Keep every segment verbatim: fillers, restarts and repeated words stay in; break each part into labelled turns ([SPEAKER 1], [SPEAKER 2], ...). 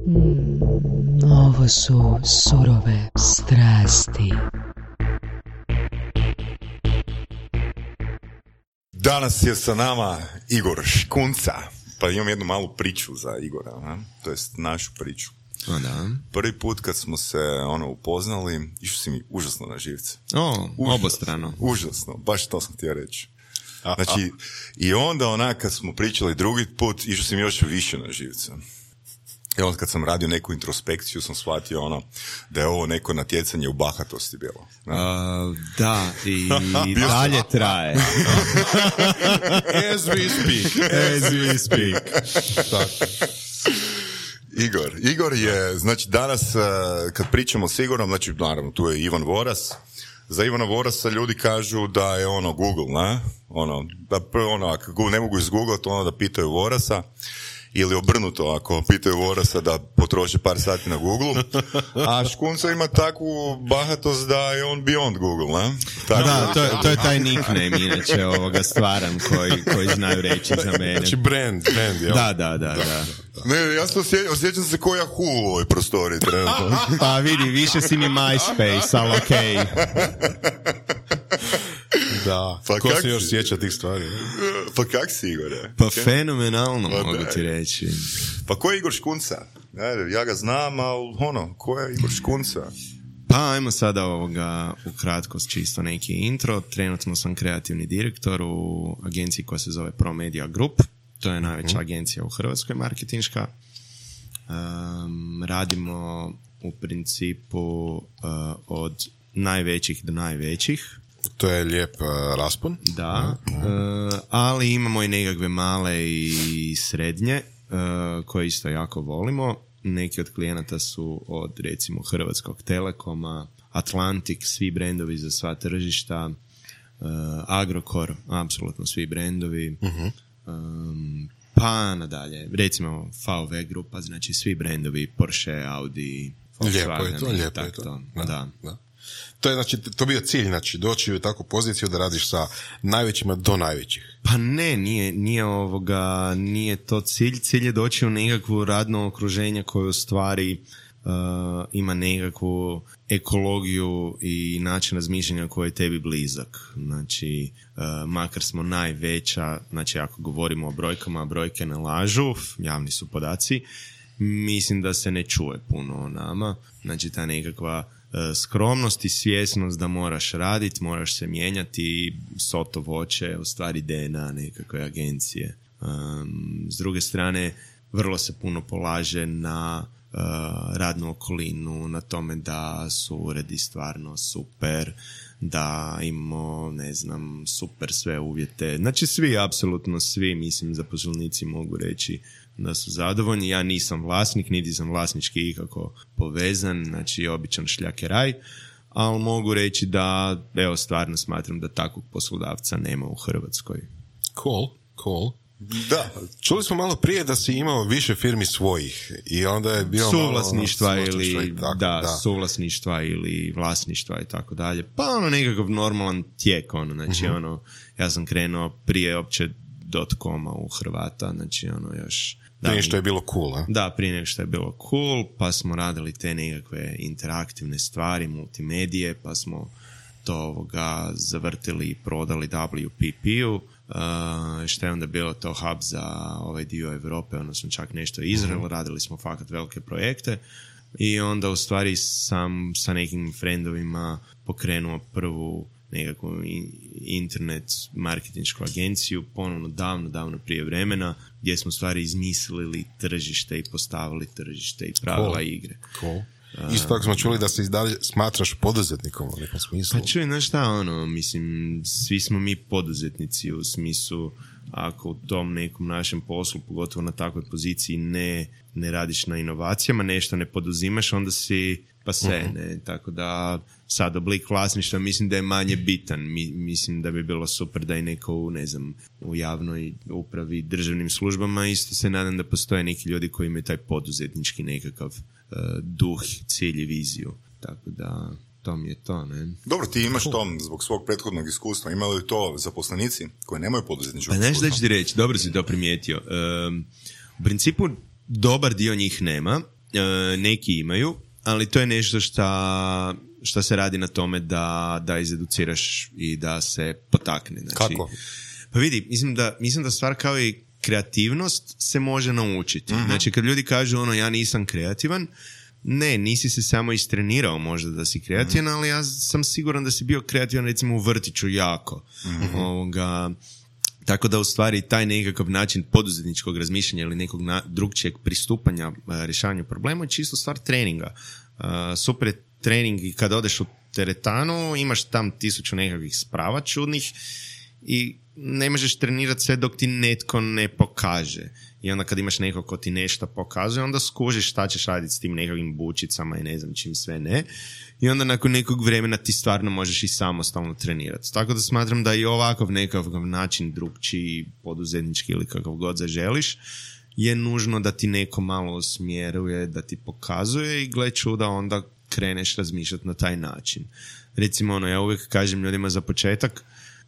[SPEAKER 1] Mm, ovo su surove strasti.
[SPEAKER 2] Danas je sa nama Igor Škunca, pa imam jednu malu priču za Igora, ne? To jest našu priču.
[SPEAKER 3] O, da.
[SPEAKER 2] Prvi put kad smo se ono upoznali, išao si mi užasno na živce.
[SPEAKER 3] O,
[SPEAKER 2] užasno,
[SPEAKER 3] obostrano.
[SPEAKER 2] Užasno, baš to sam htio reći. Znači, i onda onak kad smo pričali drugi put, išao si mi još više na živce. I onda kad sam radio neku introspekciju sam shvatio ono da je ovo neko natjecanje u bahatosti bilo.
[SPEAKER 3] Uh, da, i dalje traje.
[SPEAKER 4] As we speak.
[SPEAKER 3] As we speak.
[SPEAKER 2] Igor. Igor je, znači danas kad pričamo s Igorom, znači naravno tu je Ivan Voras. Za Ivana Vorasa ljudi kažu da je ono Google, ne? Ono, da ono, ako ne mogu izgooglati, ono da pitaju Vorasa. Ili obrnuto, ako pitaju Vorasa da potroši par sati na Google, a Škunca ima takvu bahatost da je on beyond Google, ne?
[SPEAKER 3] Tako da, to je, to je taj nickname, inače, ovoga stvaran koji, koji znaju reći za mene.
[SPEAKER 4] Znači brand, brand, jel?
[SPEAKER 3] Da, da, da, da.
[SPEAKER 2] Ne, ja se osjećam, osjećam se ko Yahoo u ovoj prostoriji, trenutno.
[SPEAKER 3] Pa vidi, više si mi MySpace, ali okej. Okay.
[SPEAKER 4] Da,
[SPEAKER 2] pa
[SPEAKER 4] ko se
[SPEAKER 2] si?
[SPEAKER 4] još sjeća tih stvari?
[SPEAKER 2] Pa kak si, Igore?
[SPEAKER 3] Pa okay. Fenomenalno, pa mogu ti reći.
[SPEAKER 2] Pa ko je Igor Škunca? Ja ga znam, ali ono, ko je Igor Škunca?
[SPEAKER 3] Pa ajmo sada ovoga ukratko čisto neki intro. Trenutno sam kreativni direktor u agenciji koja se zove Pro Media Group. To je najveća agencija u Hrvatskoj, marketinška. Um, radimo u principu uh, od najvećih do najvećih.
[SPEAKER 4] To je lijep uh, raspon.
[SPEAKER 3] Da, uh, ali imamo i nekakve male i srednje uh, koje isto jako volimo. Neki od klijenata su od recimo Hrvatskog Telekoma, Atlantik, svi brendovi za sva tržišta, uh, Agrokor, apsolutno svi brendovi, uh-huh. um, pa nadalje, recimo V W grupa, znači svi brendovi, Porsche, Audi,
[SPEAKER 4] Volkswagen. Lijepo je to, lijepo je to.
[SPEAKER 3] to.
[SPEAKER 4] Da,
[SPEAKER 3] da.
[SPEAKER 4] da. To je, znači, to bio cilj, znači, doći u takvu poziciju da radiš sa najvećima do najvećih.
[SPEAKER 3] Pa ne, nije, nije ovoga, nije to cilj. Cilj je doći u nekakvu radno okruženje koje u stvari uh, ima nekakvu ekologiju i način razmišljanja koji je tebi blizak. Znači, uh, makar smo najveća, znači ako govorimo o brojkama, a brojke ne lažu, javni su podaci, mislim da se ne čuje puno o nama. Znači, ta nekakva skromnost i svjesnost da moraš raditi, moraš se mijenjati, soto voće, u stvari D N A nekakve agencije. Um, s druge strane, vrlo se puno polaže na uh, radnu okolinu, na tome da su uredi stvarno super, da imamo, ne znam, super sve uvjete. Znači svi, apsolutno svi, mislim, zaposlenici mogu reći da su zadovoljni. Ja nisam vlasnik, niti sam vlasnički ikako povezan, znači običan šljakeraj, ali mogu reći da, evo, stvarno smatram da takvog poslodavca nema u Hrvatskoj.
[SPEAKER 4] Cool, cool.
[SPEAKER 2] Da.
[SPEAKER 4] Čuli smo malo prije da si imao više firmi svojih i onda je bio
[SPEAKER 3] suvlasništva
[SPEAKER 4] malo,
[SPEAKER 3] ili
[SPEAKER 4] tako,
[SPEAKER 3] da,
[SPEAKER 4] da,
[SPEAKER 3] suvlasništva ili vlasništva i tako dalje. Pa ono nekakav normalan tijek, ono, znači uh-huh. ono, ja sam krenuo prije opće .com-a u Hrvata, znači ono još
[SPEAKER 4] prije što je bilo cool, a?
[SPEAKER 3] Da, prije nego što je bilo cool, pa smo radili te nekakve interaktivne stvari, multimedije, pa smo to ovoga zavrtili i prodali W P P-u, uh, što je onda bilo to hub za ovaj dio Europe, odnosno čak nešto Izrael, uh-huh. radili smo fakat velike projekte i onda u stvari sam sa nekim friendovima pokrenuo prvu nekakvu internet marketinšku agenciju, ponovno davno, davno prije vremena, gdje smo stvari izmislili tržište i postavili tržište i pravila cool. igre.
[SPEAKER 4] Cool. Isto tako smo čuli da se i dalje smatraš poduzetnikom u nekom smislu.
[SPEAKER 3] Pa čuj, znaš šta, ono, mislim, svi smo mi poduzetnici u smislu, ako u tom nekom našem poslu, pogotovo na takvoj poziciji, ne, ne radiš na inovacijama, nešto ne poduzimaš, onda si pa se, uh-huh. ne, tako da sad oblik vlasništva mislim da je manje bitan. Mi, mislim da bi bilo super da i neko u, ne znam, u javnoj upravi, državnim službama, isto se nadam da postoje neki ljudi koji imaju taj poduzetnički nekakav uh, duh, cilj i viziju. Tako da to mi je to, ne?
[SPEAKER 2] Dobro, ti imaš to zbog svog prethodnog iskustva. Imali li to zaposlenici koji nemaju poduzetničkog
[SPEAKER 3] pa,
[SPEAKER 2] iskustva? Pa
[SPEAKER 3] znaš da ću ti reći, dobro si to primijetio. Um, u principu dobar dio njih nema, e, neki imaju, ali to je nešto šta, šta se radi na tome da, da izeduciraš i da se potakne. Znači,
[SPEAKER 4] Kako?
[SPEAKER 3] Pa vidi, mislim da, mislim da stvar kao i kreativnost se može naučiti. Uh-huh. Znači, kad ljudi kažu ono, ja nisam kreativan, ne, nisi se samo istrenirao možda da si kreativan, uh-huh. ali ja sam siguran da si bio kreativan recimo u vrtiću jako. Uh-huh. Ovoga, tako da u stvari taj nekakav način poduzetničkog razmišljanja ili nekog na, drugčijeg pristupanja a, rješavanju problema je čisto stvar treninga. A, super je trening i kad odeš u teretanu, imaš tam tisuću nekakvih sprava čudnih i ne možeš trenirati sve dok ti netko ne pokaže. I onda kad imaš nekog ko ti nešto pokazuje, onda skužiš šta ćeš raditi s tim nekakvim bučicama i ne znam čim sve ne. I onda nakon nekog vremena ti stvarno možeš i samostalno trenirati. Tako da smatram da i ovakav nekakav način drugčiji, poduzetnički ili kakav god zaželiš, je nužno da ti neko malo usmjeruje, da ti pokazuje i gle čuda onda kreneš razmišljati na taj način. Recimo, ono, ja uvijek kažem ljudima za početak,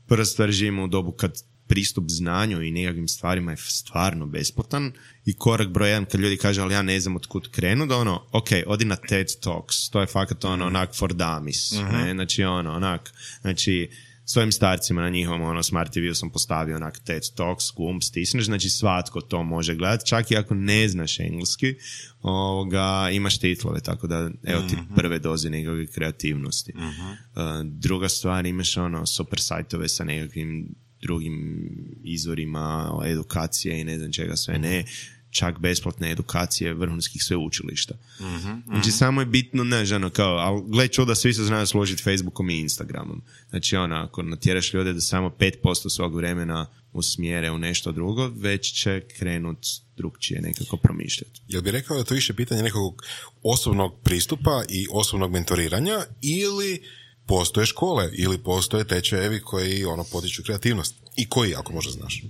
[SPEAKER 3] prva stvar, živimo u dobu kad pristup znanju i nekakvim stvarima je stvarno besplatan i korak broj jedan kad ljudi kažu ali ja ne znam od kud krenu, da ono, ok, odi na TED Talks, to je fakat ono, onak for dummies, uh-huh. ne, znači ono, onak, znači svojim starcima na njihovom ono, Smart T V-u sam postavio onak TED Talks, gumb stisneš, znači svatko to može gledati, čak i ako ne znaš engleski, ovoga, imaš titlove, tako da evo ti prve doze nekakve kreativnosti. Uh-huh. Uh, druga stvar, imaš ono super sajtove sa nekakvim drugim izvorima edukacije i ne znam čega sve ne, čak besplatne edukacije vrhunskih sveučilišta. Uh-huh, znači uh-huh. samo je bitno, ne, žano, kao, ali gle čuda, svi se znaju složiti Facebookom i Instagramom. Znači ono, ako natjeraš ljude da samo pet posto svog vremena usmjere u nešto drugo, već će krenut drugčije nekako promišljati.
[SPEAKER 4] Jel bi rekao da to više pitanje nekog osobnog pristupa i osobnog mentoriranja ili postoje škole ili postoje tečajevi koji ono potiču kreativnost? I koji, ako možda znaš?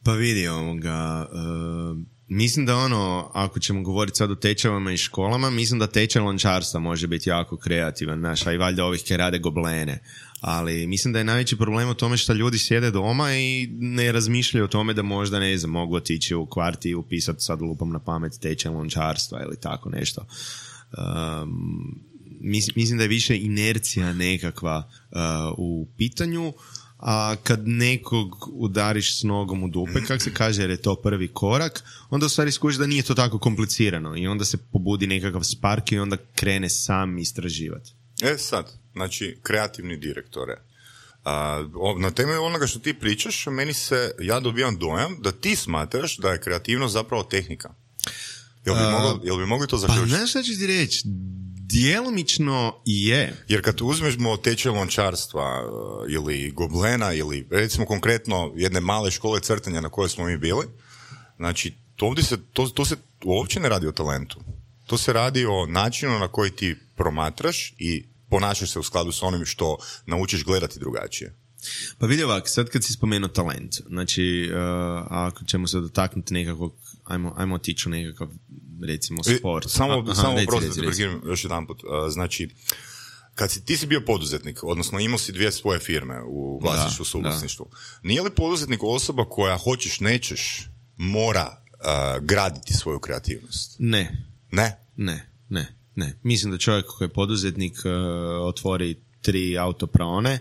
[SPEAKER 3] Pa vidi ovoga, uh, mislim da ono, ako ćemo govoriti sad o tečajevima i školama, mislim da tečaj lončarstva može biti jako kreativan, znaš, a i valjda ovih koji rade goblene. Ali mislim da je najveći problem u tome što ljudi sjede doma i ne razmišljaju o tome da možda, ne znam, mogu otići u kvarti i upisati, sad lupam na pamet, tečaj lončarstva ili tako nešto. Um, mislim da je više inercija nekakva uh, u pitanju, a kad nekog udariš s nogom u dupe, kak se kaže, jer je to prvi korak, onda u stvari skužiš da nije to tako komplicirano i onda se pobudi nekakav spark i onda krene sam istraživati.
[SPEAKER 2] E sad, znači, kreativni direktore. A, na temelju onoga što ti pričaš, meni se, ja dobijam dojam da ti smatraš da je kreativnost zapravo tehnika. Jel bi, mogli, jel bi mogli to zaključiti?
[SPEAKER 3] Pa znaš šta ću ti reći? Djelomično je.
[SPEAKER 2] Jer kad uzmemo tečaj lončarstva ili goblena ili recimo konkretno jedne male škole crtanja na kojoj smo mi bili, znači to, ovdje se, to, to se uopće ne radi o talentu. To se radi o načinu na koji ti promatraš i ponašaš se u skladu s onim što naučiš gledati drugačije.
[SPEAKER 3] Pa vidi ovak, sad kad si spomenuo talent, znači uh, ako ćemo se dotaknuti nekakvog, ajmo, ajmo otići u nekakav recimo sport.
[SPEAKER 2] E, samo
[SPEAKER 3] aha,
[SPEAKER 2] samo
[SPEAKER 3] reci,
[SPEAKER 2] prosto,
[SPEAKER 3] reci, reci.
[SPEAKER 2] još jedan put. Uh, znači, kad si, ti si bio poduzetnik, odnosno imao si dvije svoje firme u vlasništvu, suvlasništvu, nije li poduzetnik osoba koja hoćeš, nećeš, mora uh, graditi svoju kreativnost?
[SPEAKER 3] Ne.
[SPEAKER 2] Ne?
[SPEAKER 3] Ne, ne, ne. Mislim da čovjek koji je poduzetnik uh, otvori tri autopraone,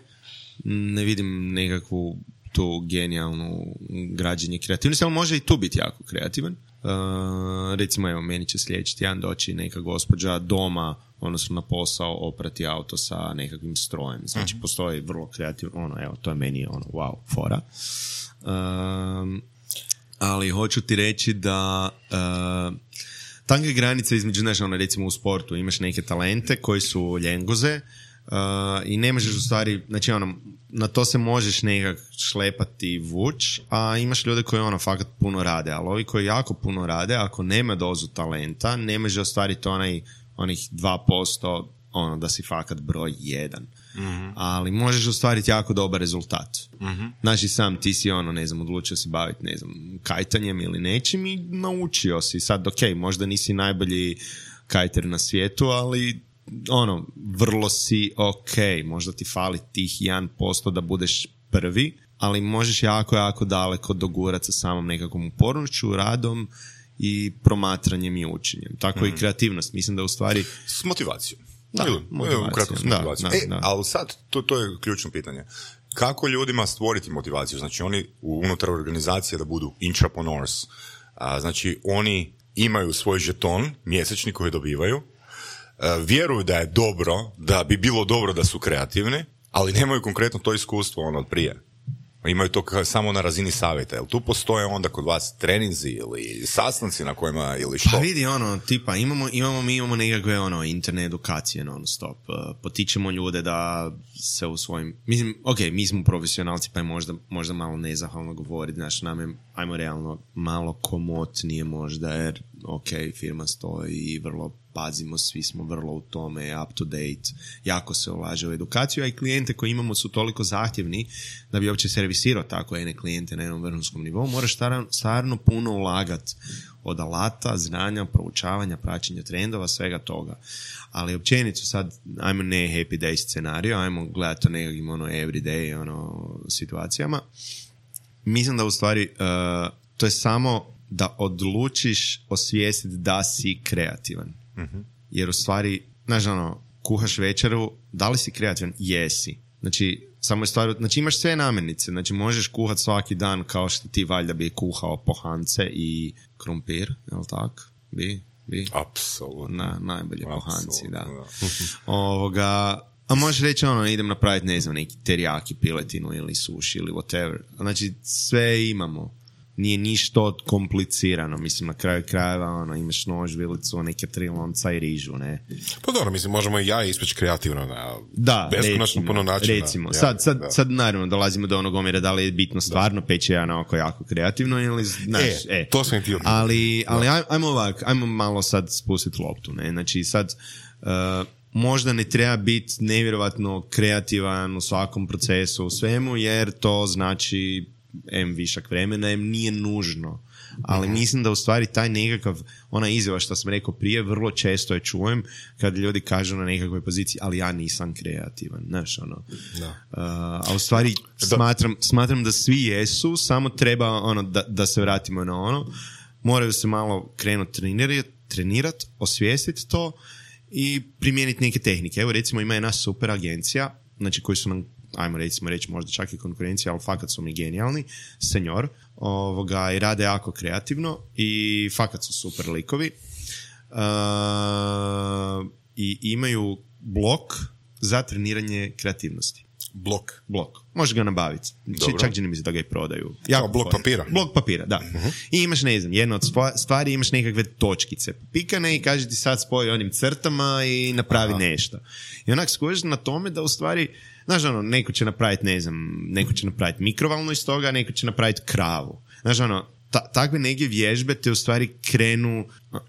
[SPEAKER 3] ne vidim nekakvu tu genijalnu građenje kreativnosti, ali može i tu biti jako kreativan. Uh, recimo, evo, meni će sljedeći tjedan doći neka gospođa doma, odnosno na posao, oprati auto sa nekakvim strojem. Znači, uh-huh. postoji vrlo kreativno, ono, evo, to je meni, ono, wow, fora. Um, ali hoću ti reći da uh, tanka granica između, znaš, ono, recimo u sportu imaš neke talente koji su ljengoze, Uh, i ne možeš u stvari, znači ono, na to se možeš nekak šlepati vuć, a imaš ljude koji ono fakat puno rade, ali ovi koji jako puno rade, ako nema dozu talenta, ne može ostvariti onaj, onih dva posto ono, da si fakat broj jedan. Mm-hmm. Ali možeš ostvariti jako dobar rezultat. Mm-hmm. Znači sam ti si ono, ne znam, odlučio si baviti, ne znam, kajtanjem ili nečim i naučio si. Sad, ok, možda nisi najbolji kajter na svijetu, ali ono, vrlo si ok, možda ti fali tih jedan posto da budeš prvi, ali možeš jako, jako daleko dogurati sa samom nekakvom upornošću, radom i promatranjem i učenjem. Tako mm. i kreativnost. Mislim da u stvari...
[SPEAKER 2] S motivacijom.
[SPEAKER 3] Da,
[SPEAKER 2] Ili,
[SPEAKER 3] motivacijom.
[SPEAKER 2] Ukratko s
[SPEAKER 3] Da,
[SPEAKER 2] motivacijom.
[SPEAKER 3] da,
[SPEAKER 2] e,
[SPEAKER 3] da.
[SPEAKER 2] ali sad, to, to je ključno pitanje. Kako ljudima stvoriti motivaciju? Znači, oni unutar organizacije da budu intrapreneurs. A, znači, oni imaju svoj žeton mjesečni koji dobivaju, a, vjeruju da je dobro, da bi bilo dobro da su kreativni, ali nemaju konkretno to iskustvo ono od prije. Imaju to kao samo na razini savjeta. Jel tu postoje onda kod vas treninzi ili sastanci na kojima ili što?
[SPEAKER 3] Pa vidi, ono, tipa, imamo, imamo, mi imamo nekakve, ono, interne edukacije non stop. Uh, potičemo ljude da se u svojim... Mislim, ok, mi smo profesionalci, pa je možda, možda malo nezahvalno govoriti, znači, nam je, ajmo realno, malo komotnije možda, jer, ok, firma stoji i vrlo pazimo, svi smo vrlo u tome, up to date, jako se ulaže u edukaciju, a i klijente koje imamo su toliko zahtjevni da bi uopće servisirao tako jedne klijente na jednom vrhunskom nivou, moraš stvarno, stvarno puno ulagati od alata, znanja, proučavanja, praćenja trendova, svega toga. Ali općenito sad, ajmo ne happy day scenario, ajmo gledati to nekakvim ono everyday ono, situacijama. Mislim da u stvari uh, to je samo da odlučiš osvijestiti da si kreativan. Mm-hmm. Jer u stvari, znaš ono, kuhaš večeru, da li si kreativan? Jesi. Znači, samo je stvar, znači imaš sve namirnice, znači možeš kuhat svaki dan kao što ti valjda bi kuhao pohance i krompir, je li tako? Bi, bi.
[SPEAKER 2] Apsolutno.
[SPEAKER 3] Na, najbolje
[SPEAKER 2] Apsolutno,
[SPEAKER 3] pohanci, da.
[SPEAKER 2] da.
[SPEAKER 3] Ovoga, a možeš reći ono, idem napraviti, ne znam, neki teriyaki piletinu ili sushi ili whatever. Znači, sve imamo. Nije ništa komplicirano, mislim, na kraju krajeva, ono, imaš nož, vilicu, neke tri lonca i rižu, ne?
[SPEAKER 4] Pa dobro, mislim, možemo i ja ispeći kreativno na
[SPEAKER 3] da,
[SPEAKER 4] beskonačno puno načina.
[SPEAKER 3] Recimo,
[SPEAKER 4] ja,
[SPEAKER 3] sad, sad,
[SPEAKER 4] da.
[SPEAKER 3] sad naravno dolazimo do onog omjera da li je bitno stvarno peći ja na oko jako kreativno ili, znaš,
[SPEAKER 4] e,
[SPEAKER 3] e.
[SPEAKER 4] to sam htio.
[SPEAKER 3] Ali, ali aj, ajmo ovak, ajmo malo sad spustiti loptu, ne? Znači sad, uh, možda ne treba biti nevjerovatno kreativan u svakom procesu, u svemu, jer to znači em višak vremena, em nije nužno. Ali mislim da u stvari taj nekakav, ona izjava što sam rekao prije, vrlo često je čujem kad ljudi kažu na nekakvoj poziciji, ali ja nisam kreativan. Znaš, ono. Da. Uh, a u stvari smatram, smatram da svi jesu, samo treba ono, da, da se vratimo na ono. Moraju se malo krenuti trenirati, trenirat, osvijestiti to i primijeniti neke tehnike. Evo recimo ima jedna super agencija, znači koji su nam, ajmo recimo reći možda čak i konkurencija, ali fakat su mi genijalni, Senior, ovoga, i rade jako kreativno i fakat su super likovi. Uh, i imaju blok za treniranje kreativnosti.
[SPEAKER 4] Blok.
[SPEAKER 3] Blok. Možeš ga nabaviti. Č- čak čini mi se da ga i prodaju.
[SPEAKER 4] Jako blok papira.
[SPEAKER 3] Blok papira, da. Uh-huh. I imaš, ne znam, jedna od stvari, imaš nekakve točkice pikane i kaže ti sad spoji onim crtama i napravi Aha. nešto. I onak skužiš na tome da u stvari, znaš ono, neko će napraviti, ne znam, neko će napraviti mikrovalnu iz toga, neko će napraviti kravu. Znaš ono, ta, takve neke vježbe te u stvari krenu uh,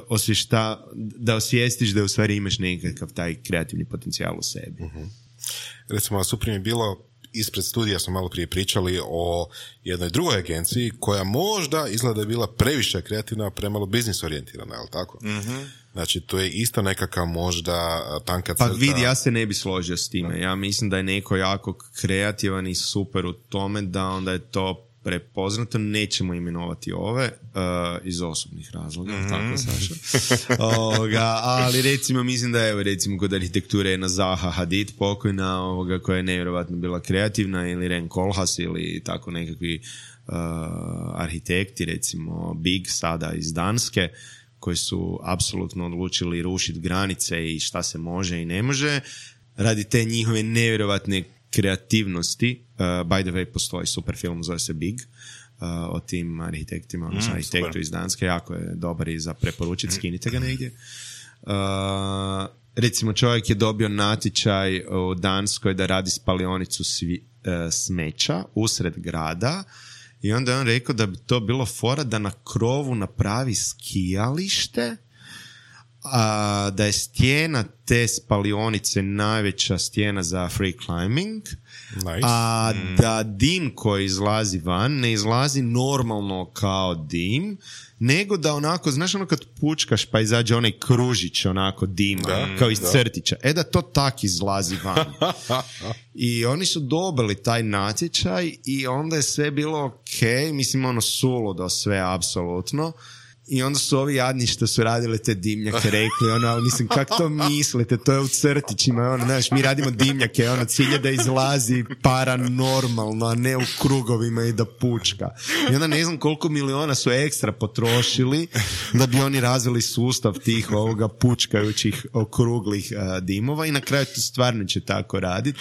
[SPEAKER 3] osvješta, da osvijestiš da u stvari imaš nekakav taj kreativni potencijal u sebi.
[SPEAKER 4] Uh-huh. Recimo, super mi je bilo, ispred studija smo malo prije pričali o jednoj drugoj agenciji koja možda izgleda da je bila previše kreativna, a premalo biznis orijentirana, je li tako? Mm-hmm. Znači, to je isto nekakav možda tanka crta.
[SPEAKER 3] Pa vidi, ja se ne bi složio s time. Ja mislim da je neko jako kreativan i super u tome da onda je to prepoznato. Nećemo imenovati ove uh, iz osobnih razloga, mm-hmm. tako Saša. Ovoga, ali recimo mislim da je recimo kod arhitekture jedna Zaha Hadid pokojna, ovoga, koja je nevjerovatno bila kreativna, ili Ren Koolhaas ili tako nekakvi uh, arhitekti, recimo Big sada iz Danske, koji su apsolutno odlučili rušiti granice i šta se može i ne može radi te njihove nevjerovatne kreativnosti. Uh, by the way, postoji super film, zove se Big, uh, o tim arhitektima, odnosno mm, arhitektu super. Iz Danske, jako je dobar i za preporučiti, skinite ga negdje. Uh, recimo, čovjek je dobio natječaj u Danskoj da radi spalionicu svi, uh, smeća usred grada i onda je on rekao da bi to bilo fora da na krovu napravi skijalište, a da je stijena te spalionice najveća stijena za free climbing, nice. A mm. da dim koji izlazi van ne izlazi normalno kao dim, nego da onako, znaš ono kad pučkaš pa izađe onaj kružić onako dima, da, kao iz da. crtića, e da to tak izlazi van. I oni su dobili taj natječaj i onda je sve bilo ok, mislim ono suludo sve apsolutno. I onda su ovi jadni što su radili te dimnjake rekli, ono, ali mislim, kako to mislite, to je u crtićima, ono, znaš, mi radimo dimnjake, ono, cilj je da izlazi paranormalno, a ne u krugovima i da pučka. I onda ne znam koliko miliona su ekstra potrošili da bi oni razvili sustav tih ovoga pučkajućih okruglih uh, dimova i na kraju to stvarno će tako raditi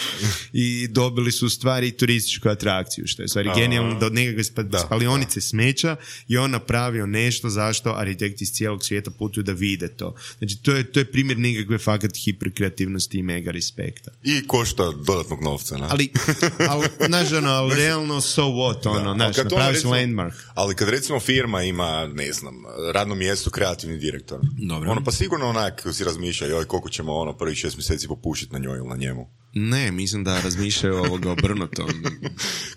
[SPEAKER 3] i dobili su u stvari turističku atrakciju, što je u stvari genijalno, da od nekakve spa- spalionice smeća i on napravio nešto zašto arhitekti iz cijelog svijeta putuju da vide to. Znači, to je, to je primjer nekakve fakat hiperkreativnosti i mega respekta.
[SPEAKER 2] I košta dodatnog novca, ne?
[SPEAKER 3] Ali, ali, znaš, ono, ali realno so what, ono, znaš, napraviš landmark.
[SPEAKER 2] Ali kad recimo firma ima, ne znam, radno mjesto kreativni direktor,
[SPEAKER 3] dobro,
[SPEAKER 2] ono pa sigurno onak si razmišlja, joj, koliko ćemo ono prvih šest mjeseci popušiti na njoj ili na njemu.
[SPEAKER 3] Ne, mislim da razmišljaju ovoga obrnutom.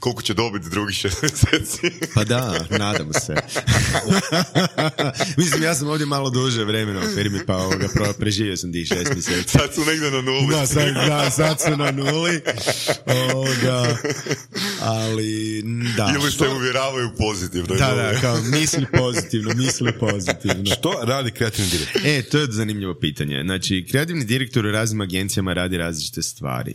[SPEAKER 2] Koliko će dobiti drugih šest mjeseci?
[SPEAKER 3] Pa da, nadamo se. Mislim, ja sam ovdje malo duže vremena u firmi, pa ovoga, preživio sam tih šest mjeseci.
[SPEAKER 2] Sad su negdje na nuli.
[SPEAKER 3] Da, sad, da, sad su na nuli. Ovoga, ali, da.
[SPEAKER 2] Ili te uvjeravaju pozitivno.
[SPEAKER 3] Da, da, kao misli pozitivno, misli pozitivno.
[SPEAKER 4] Što radi kreativni direktor?
[SPEAKER 3] E, to je zanimljivo pitanje. Znači, kreativni direktor u raznim agencijama radi različite stvari. Uh,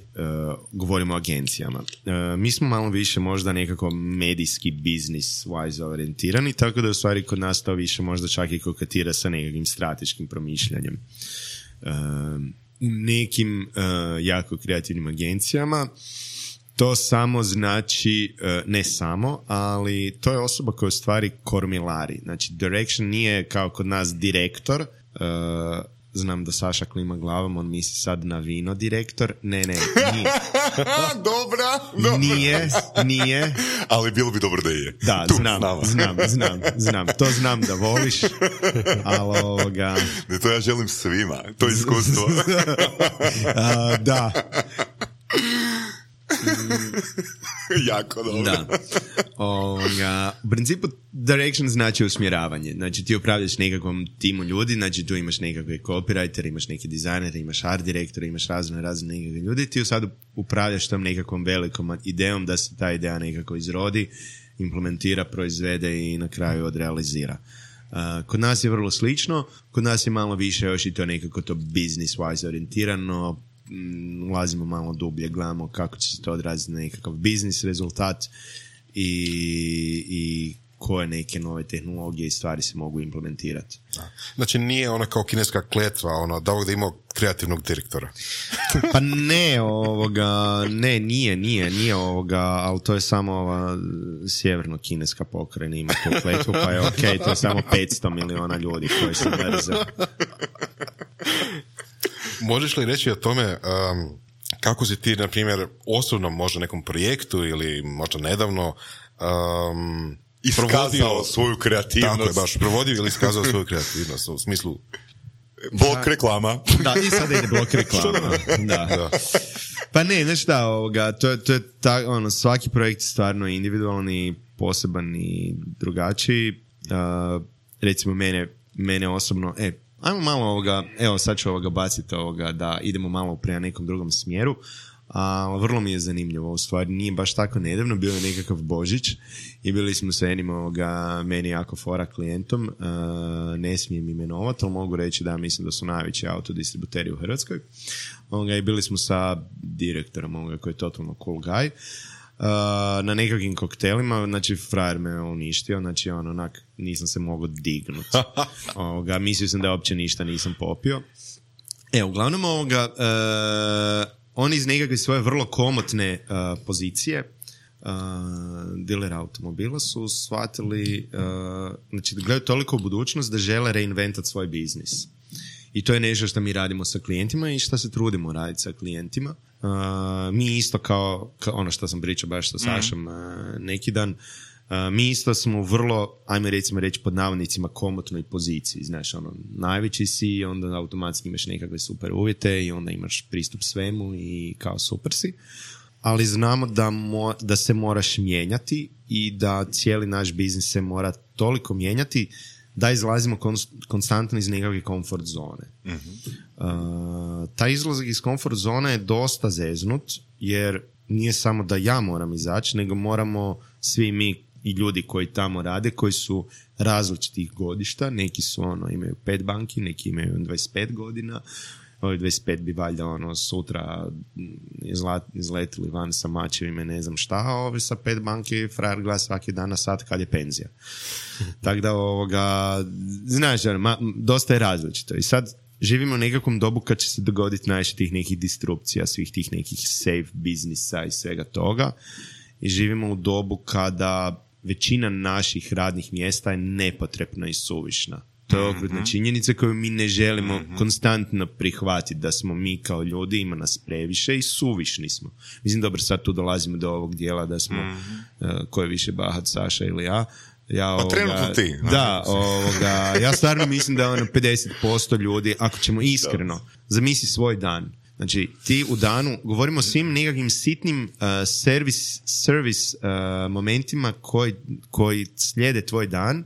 [SPEAKER 3] govorimo o agencijama. Uh, mi smo malo više možda nekako medijski business wise orijentirani, tako da u stvari kod nas to više možda čak i kokatira sa nekakvim strateškim promišljanjem. Uh, u nekim uh, jako kreativnim agencijama to samo znači, uh, ne samo, ali to je osoba koja u stvari kormilari. Znači, direction nije kao kod nas direktor, uh, znam da Saša klima glavom, on misli sad na vino direktor. Ne, ne, nije.
[SPEAKER 2] Dobra, dobra.
[SPEAKER 3] Nije, nije.
[SPEAKER 2] Ali bilo bi dobro da je.
[SPEAKER 3] Da,
[SPEAKER 2] tu,
[SPEAKER 3] znam, znam, znam, znam. To znam da voliš, ali ovoga...
[SPEAKER 2] Ne, to ja želim svima, to je iskustvo.
[SPEAKER 3] A, da.
[SPEAKER 2] Jako dobro.
[SPEAKER 3] Da. Ovoga, u principu direction znači usmjeravanje. Znači ti upravljaš nekakvom timu ljudi, znači tu imaš nekakve copywriter, imaš neke dizajnere, imaš art direktora, imaš razne razne nekakve ljudi, ti sad upravljaš tom nekakvom velikom idejom da se ta ideja nekako izrodi, implementira, proizvede i na kraju odrealizira. Uh, kod nas je vrlo slično, kod nas je malo više još i to nekako to business wise orijentirano, ulazimo malo dublje, gledamo kako će se to odraziti na nekakav biznis rezultat i, i koje neke nove tehnologije i stvari se mogu implementirati.
[SPEAKER 4] Znači nije ona kao kineska kletva, ono, da ovog da imao kreativnog direktora.
[SPEAKER 3] Pa ne, ovoga, ne, nije, nije, nije ovoga, ali to je samo ova sjeverno-kineska pokrajina, ima tu kletvu, pa je okej, okay, to je samo petsto miliona ljudi koji se mrze.
[SPEAKER 4] Možeš li reći o tome um, kako si ti, na primjer, osobno možda nekom projektu ili možda nedavno um,
[SPEAKER 2] iskazao provodio, svoju kreativnost.
[SPEAKER 4] Tako je, baš, provodio ili iskazao svoju kreativnost u smislu...
[SPEAKER 2] Blok reklama.
[SPEAKER 3] Da, i sada ide blok reklama. Da. Da. Pa ne, znači da, ovoga, to, to je ta, ono, svaki projekt je stvarno individualni, poseban i drugačiji. Uh, recimo mene, mene osobno, e, ajmo malo ovoga, evo sad ću ovoga baciti ovoga da idemo malo prema nekom drugom smjeru, a vrlo mi je zanimljivo, u stvari nije baš tako nedavno, bio je nekakav Božić i bili smo sa jednim ovoga, meni jako fora klijentom, uh, ne smijem imenovati, ali mogu reći da mislim da su najveći autodistributeri u Hrvatskoj, ovoga, i bili smo sa direktorom ovoga, koji je totalno cool guy, Uh, na nekakvim koktelima, znači frajer me uništio, znači on onak nisam se mogao dignuti. Ovoga, mislio sam da uopće ništa nisam popio. E, uglavnom ovoga, uh, oni iz nekakve svoje vrlo komotne uh, pozicije uh, dilera automobila su shvatili, uh, znači da gledaju toliko u budućnost da žele reinventati svoj biznis. I to je nešto što mi radimo sa klijentima i što se trudimo raditi sa klijentima. Uh, mi isto kao, kao ono što sam pričao baš sa Sašom mm. uh, neki dan, uh, mi isto smo vrlo, ajme recimo reći pod navodnicima, komotnoj poziciji. Znaš, ono, najveći si, onda automatski imaš nekakve super uvjete i onda imaš pristup svemu i kao super si. Ali znamo da, mo, da se moraš mijenjati i da cijeli naš biznis se mora toliko mijenjati da izlazimo konstantno iz nekakve komfort zone. Mm-hmm. Uh, taj izlazak iz komfort zone je dosta zeznut, jer nije samo da ja moram izaći, nego moramo svi mi i ljudi koji tamo rade, koji su različitih godišta, neki su ono, imaju pet banki, neki imaju dvadeset pet godina, ovi dvadeset pet bi valjda ono, sutra izla, izletili van sa mačevima, ne znam šta, a ovi sa pet banki frajer gleda svaki dan na sat kad je penzija. Tako da ovoga, znaš, ma, dosta je različito. I sad živimo u nekakvom dobu kad će se dogoditi najviše tih nekih disrupcija, svih tih nekih safe biznisa i svega toga. I živimo u dobu kada većina naših radnih mjesta je nepotrebna i suvišna. To je okrutna činjenica koju mi ne želimo mm-hmm. konstantno prihvatiti, da smo mi kao ljudi, ima nas previše i suvišni smo. Mislim, dobro, sad tu dolazimo do ovog dijela da smo, mm-hmm. uh, ko je više bahat, Saša ili ja. Ja,
[SPEAKER 2] pa
[SPEAKER 3] ovoga,
[SPEAKER 2] trenutno ti.
[SPEAKER 3] Da, ovoga, ja stvarno mislim da ono pedeset posto ljudi, ako ćemo iskreno, zamisli svoj dan. Znači, ti u danu, govorimo o svim nekakvim sitnim uh, servis, servis uh, momentima koji, koji slijede tvoj dan.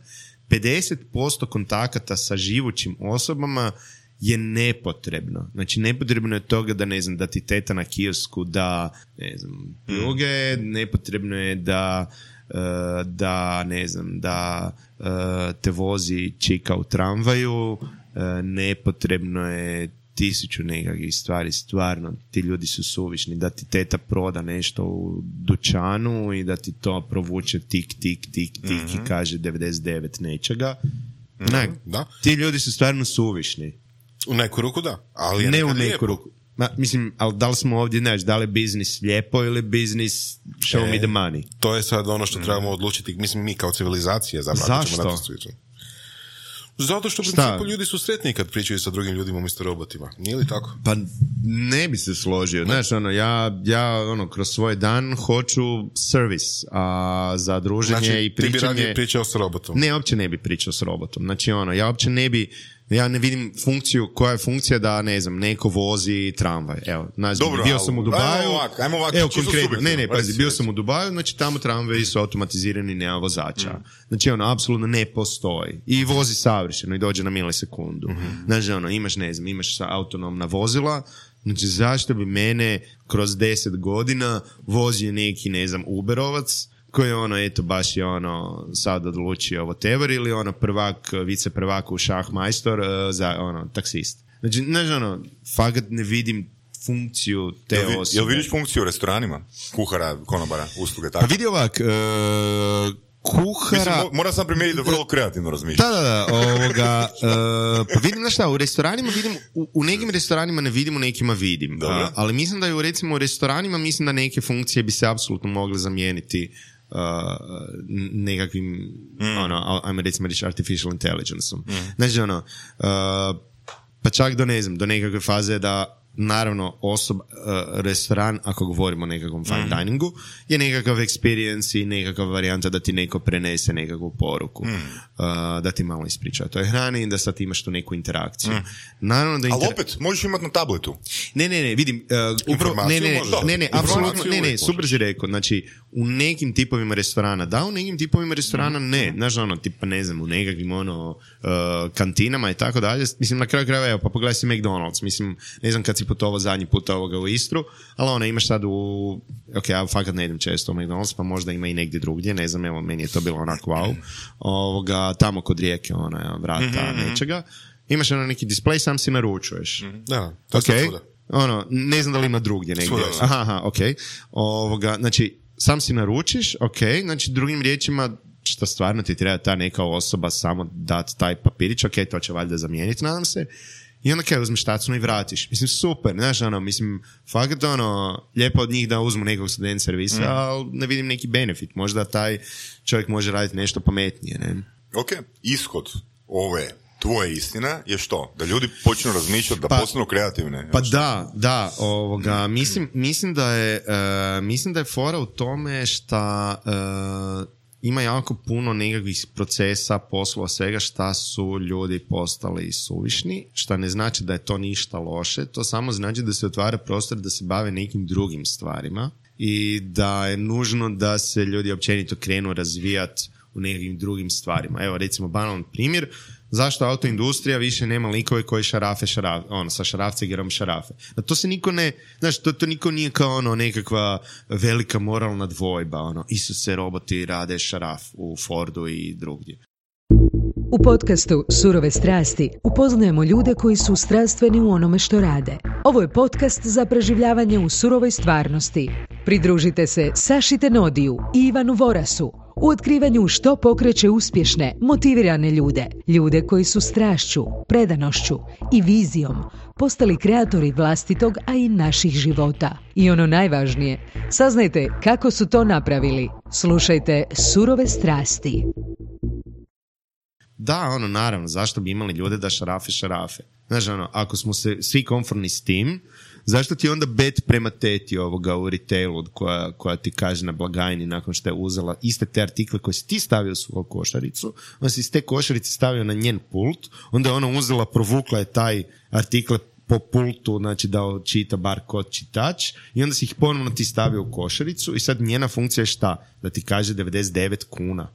[SPEAKER 3] pedeset posto kontakata sa živućim osobama je nepotrebno. Znači, nepotrebno je toga da, ne znam, da ti teta na kiosku da, ne znam, pruge, mm. nepotrebno je da, uh, da ne znam, da uh, te vozi čika u tramvaju, uh, nepotrebno je tisuću nekakvih stvari, stvarno, ti ljudi su suvišni, da ti teta proda nešto u dućanu i da ti to provuče tik, tik, tik, tik mm-hmm. i kaže devedeset devet nečega. Mm-hmm. Ne,
[SPEAKER 4] da.
[SPEAKER 3] Ti ljudi su stvarno suvišni.
[SPEAKER 4] U neku ruku da, ali je
[SPEAKER 3] ne u neku
[SPEAKER 4] lijepo.
[SPEAKER 3] ruku. Ma, mislim, ali da li smo ovdje, znaš, da li je biznis lijepo ili biznis show e, me the money?
[SPEAKER 4] To je sad ono što mm. trebamo odlučiti, mislim, mi kao civilizacija zapravo.
[SPEAKER 3] Zašto?
[SPEAKER 4] Zato što u principu ljudi su sretniji kad pričaju sa drugim ljudima umjesto robotima. Nije li tako?
[SPEAKER 3] Pa ne bi se složio. Znaš, ono, ja, ja ono, kroz svoj dan hoću servis, a za druženje
[SPEAKER 4] znači,
[SPEAKER 3] i pričanje...
[SPEAKER 4] Ti bi radije pričao s robotom?
[SPEAKER 3] Ne, uopće ne bi pričao s robotom. Znači, ono, ja uopće ne bi... Ja ne vidim funkciju, koja je funkcija da, ne znam, neko vozi tramvaj. Evo, znači,
[SPEAKER 2] dobro,
[SPEAKER 3] bio sam u Dubaju.
[SPEAKER 2] Ajmo ovak, ajmo ovak,
[SPEAKER 3] evo, konkretno, ne, ne, pazi, bio sam u Dubaju, znači tamo tramvaji su automatizirani, nema vozača. Mm. Znači, ono, apsolutno ne postoji. I vozi savršeno i dođe na milisekundu. Mm-hmm. Znači, ono, imaš, ne znam, imaš autonomna vozila, znači, zašto bi mene kroz deset godina vozio neki, ne znam, Uberovac, koji je ono, eto, baš je ono, sad odlučio whatever, ili ono, prvak, vice prvak u šahmajstor uh, za, ono, taksist. Znači, znači, ono, fakat ne vidim funkciju te jel, osobe.
[SPEAKER 2] Jel vidiš funkciju u restoranima? Kuhara, konobara, usluge, tako?
[SPEAKER 3] Pa vidi ovak, uh, kuhara...
[SPEAKER 2] Mislim, moram sam primijetiti da vrlo kreativno razmišljati.
[SPEAKER 3] Da, da, da, ovoga, uh, pa vidim, znaš šta, u restoranima vidim, u, u nekim restoranima ne vidim, u nekima vidim. Uh, ali mislim da je, u, recimo, u restoranima, mislim da neke funkcije bi se apsolutno mogle zamijeniti Uh, nekakvim mm. ono, ajmo recimo reći artificial intelligence-om. Mm. Znači ono, uh, pa čak do ne znam, do nekakve faze da naravno osoba, uh, restoran, ako govorimo o nekakvom fine mm. diningu, je nekakav experience i nekakva varijanta da ti neko prenese nekakvu poruku. Mm. Uh, da ti malo ispriča o toj hrani i da sad imaš tu neku interakciju. Mm. Naravno da
[SPEAKER 2] inter... Ali opet, možeš imati na tabletu.
[SPEAKER 3] Ne, ne, ne, vidim, uh, upravo, ne, ne, ne, ne, ne, apsolutno, ne, ne, super si rekao, znači, u nekim tipovima restorana da, u nekim tipovima restorana mm. ne, znaš ono, tipa ne znam, u nekakvim ono, uh, kantinama i tako dalje, mislim, na kraju krajeva, evo, pa pogledaj si McDonald's, mislim, ne znam kad si putovao zadnji puta ovoga u Istru, ali ono, imaš sad u, ok, ja fakat ne idem često u McDonald's, pa možda ima i negdje drugdje, ne znam, evo, meni je to bilo onako wow, ovoga, tamo kod rijeke, ona, vrata, mm-hmm. nečega, imaš ono neki display, sam si naručuješ.
[SPEAKER 4] Mm-hmm. Da, to je
[SPEAKER 3] okay. Ono, ne znam da li ima drugdje negdje. Svuda, aha, aha, ok. Ovoga, znači, sam si naručiš, ok, znači drugim riječima, što stvarno ti treba ta neka osoba samo dati taj papirić, ok, to će valjda zamijeniti, nadam se, i onda kaj uzmeš tacnu i vratiš. Mislim, super, znaš, ono, mislim, fakat ono, lijepo od njih da uzmu nekog student servisa, mm. ali ne vidim neki benefit, možda taj čovjek može raditi nešto pametnije, ne?
[SPEAKER 2] Ok, ishod ove tvoje istina je što? Da ljudi počnu razmišljati, da pa, postanu kreativne.
[SPEAKER 3] Pa da, da, ovoga, mislim, mislim da je uh, mislim da je fora u tome šta uh, ima jako puno nekakvih procesa, poslova, svega šta su ljudi postali suvišni, šta ne znači da je to ništa loše, to samo znači da se otvara prostor da se bave nekim drugim stvarima i da je nužno da se ljudi općenito krenu razvijati u nekakvim drugim stvarima. Evo, recimo, banalan primjer, zašto autoindustrija više nema likove koji šarafe, šarafe, ono, sa šarafcigerom šarafe. A to se niko ne, znaš, to, to niko nije kao ono nekakva velika moralna dvojba, ono, Isuse, roboti rade šaraf u Fordu i drugdje.
[SPEAKER 1] U podcastu Surove strasti upoznajemo ljude koji su strastveni u onome što rade. Ovo je podcast za preživljavanje u surovoj stvarnosti. Pridružite se Saši Tenodiju i Ivanu Vorasu u otkrivanju što pokreće uspješne, motivirane ljude. Ljude koji su strašću, predanošću i vizijom postali kreatori vlastitog, a i naših života. I ono najvažnije, saznajte kako su to napravili. Slušajte Surove strasti.
[SPEAKER 3] Da, ono, naravno, zašto bi imali ljude da šarafe, šarafe? Znaš, ono, ako smo se svi konforni s tim, zašto ti onda bet prema teti ovoga u retailu koja, koja ti kaže na blagajni nakon što je uzela iste te artikle koje si ti stavio u svoju košaricu, onda si iz te košarice stavio na njen pult, onda je ona uzela, provukla je taj artikle po pultu, znači da čita bar kod čitač i onda si ih ponovno ti stavio u košaricu i sad njena funkcija je šta? Da ti kaže devedeset devet kuna.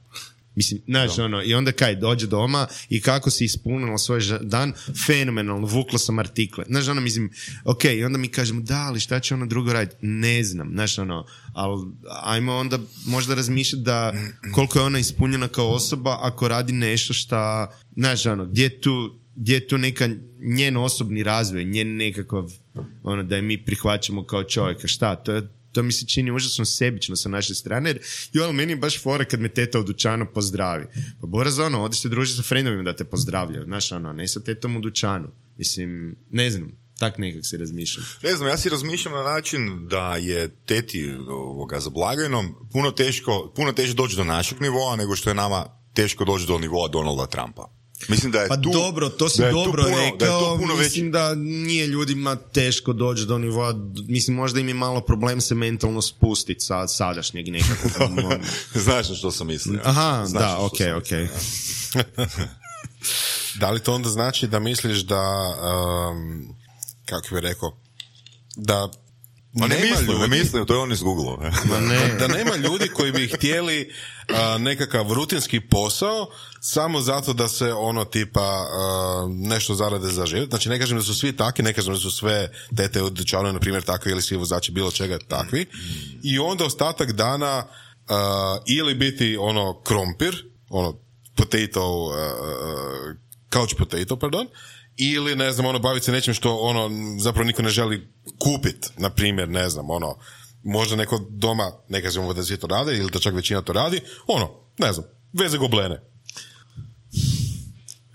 [SPEAKER 3] Mislim, znaš, ono, i onda kaj, dođe doma i kako si ispunila svoj dan, fenomenalno, vukla sam artikle. Znaš, ono, mislim, ok, i onda mi kažemo, da, ali šta će ono drugo raditi? Ne znam, znaš, ono, ali ajmo onda možda razmišljati da koliko je ona ispunjena kao osoba ako radi nešto šta, znaš, ono, gdje je tu, gdje je tu neka njen osobni razvoj, njen nekakav, ono, da je mi prihvaćamo kao čovjeka, šta, to je to mi se čini užasno sebično sa naše strane, jer jo, meni je baš fora kad me teta u dućanu pozdravi. Pa Bora za ono, odiš se druži sa frendovima da te pozdravljaju, znaš, ono, ne sa tetom u dućanu. Mislim, ne znam, tak nekak se razmišljam.
[SPEAKER 2] Ne znam, ja si razmišljam na način da je teti ovoga, za blagajnom puno teško, puno teže doći do našeg nivoa nego što je nama teško doći do nivoa Donalda Trumpa. Mislim da je
[SPEAKER 3] pa
[SPEAKER 2] tu,
[SPEAKER 3] dobro, to si dobro puno, rekao, da mislim veći. Da nije ljudima teško doći do nivoa, mislim možda im je malo problem se mentalno spustiti sa sadašnjeg nekako.
[SPEAKER 2] Znaš što sam mislio.
[SPEAKER 3] Aha,
[SPEAKER 2] Znaš
[SPEAKER 3] da, ok, ok.
[SPEAKER 4] Da li to onda znači da misliš da, um, kako bih rekao, da
[SPEAKER 2] Ma ne
[SPEAKER 4] nema
[SPEAKER 2] mislim,
[SPEAKER 4] ljudi,
[SPEAKER 2] ne mislim, to je on iz Google-a.
[SPEAKER 4] Ne. Da nema ljudi koji bi htjeli uh, nekakav rutinski posao samo zato da se ono tipa uh, nešto zarade za život. Znači ne kažem da su svi takvi, ne kažem da su sve tete u dućanu, na primjer, takvi ili svi vozači bilo čega takvi. I onda ostatak dana uh, ili biti ono krompir, ono potato, uh, couch potato, pardon, ili, ne znam, ono, baviti se nečim što, ono, zapravo niko ne želi kupiti, na primjer, ne znam, ono, možda neko doma, ne kažemo da svi to rade, ili da čak većina to radi, ono, ne znam, veze goblene.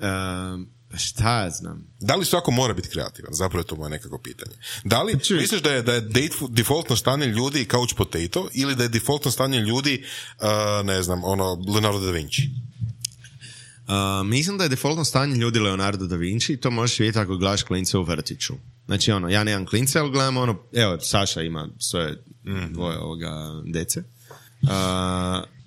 [SPEAKER 3] Um, šta ja znam?
[SPEAKER 4] Da li svako mora biti kreativan? Zapravo je to moje nekako pitanje. Da li Čuj. misliš da je, da je defaultno stanje ljudi couch potato, ili da je defaultno stanje ljudi, uh, ne znam, ono, Leonardo da Vinci?
[SPEAKER 3] Uh, mislim da je defaultno stanje ljudi Leonardo da Vinci i to možeš vidjeti ako gledaš klince u vrtiću. Znači ono, ja nemam klince, ali gledam ono, evo, Saša ima svoje mm. dvoje ovoga dece. Uh,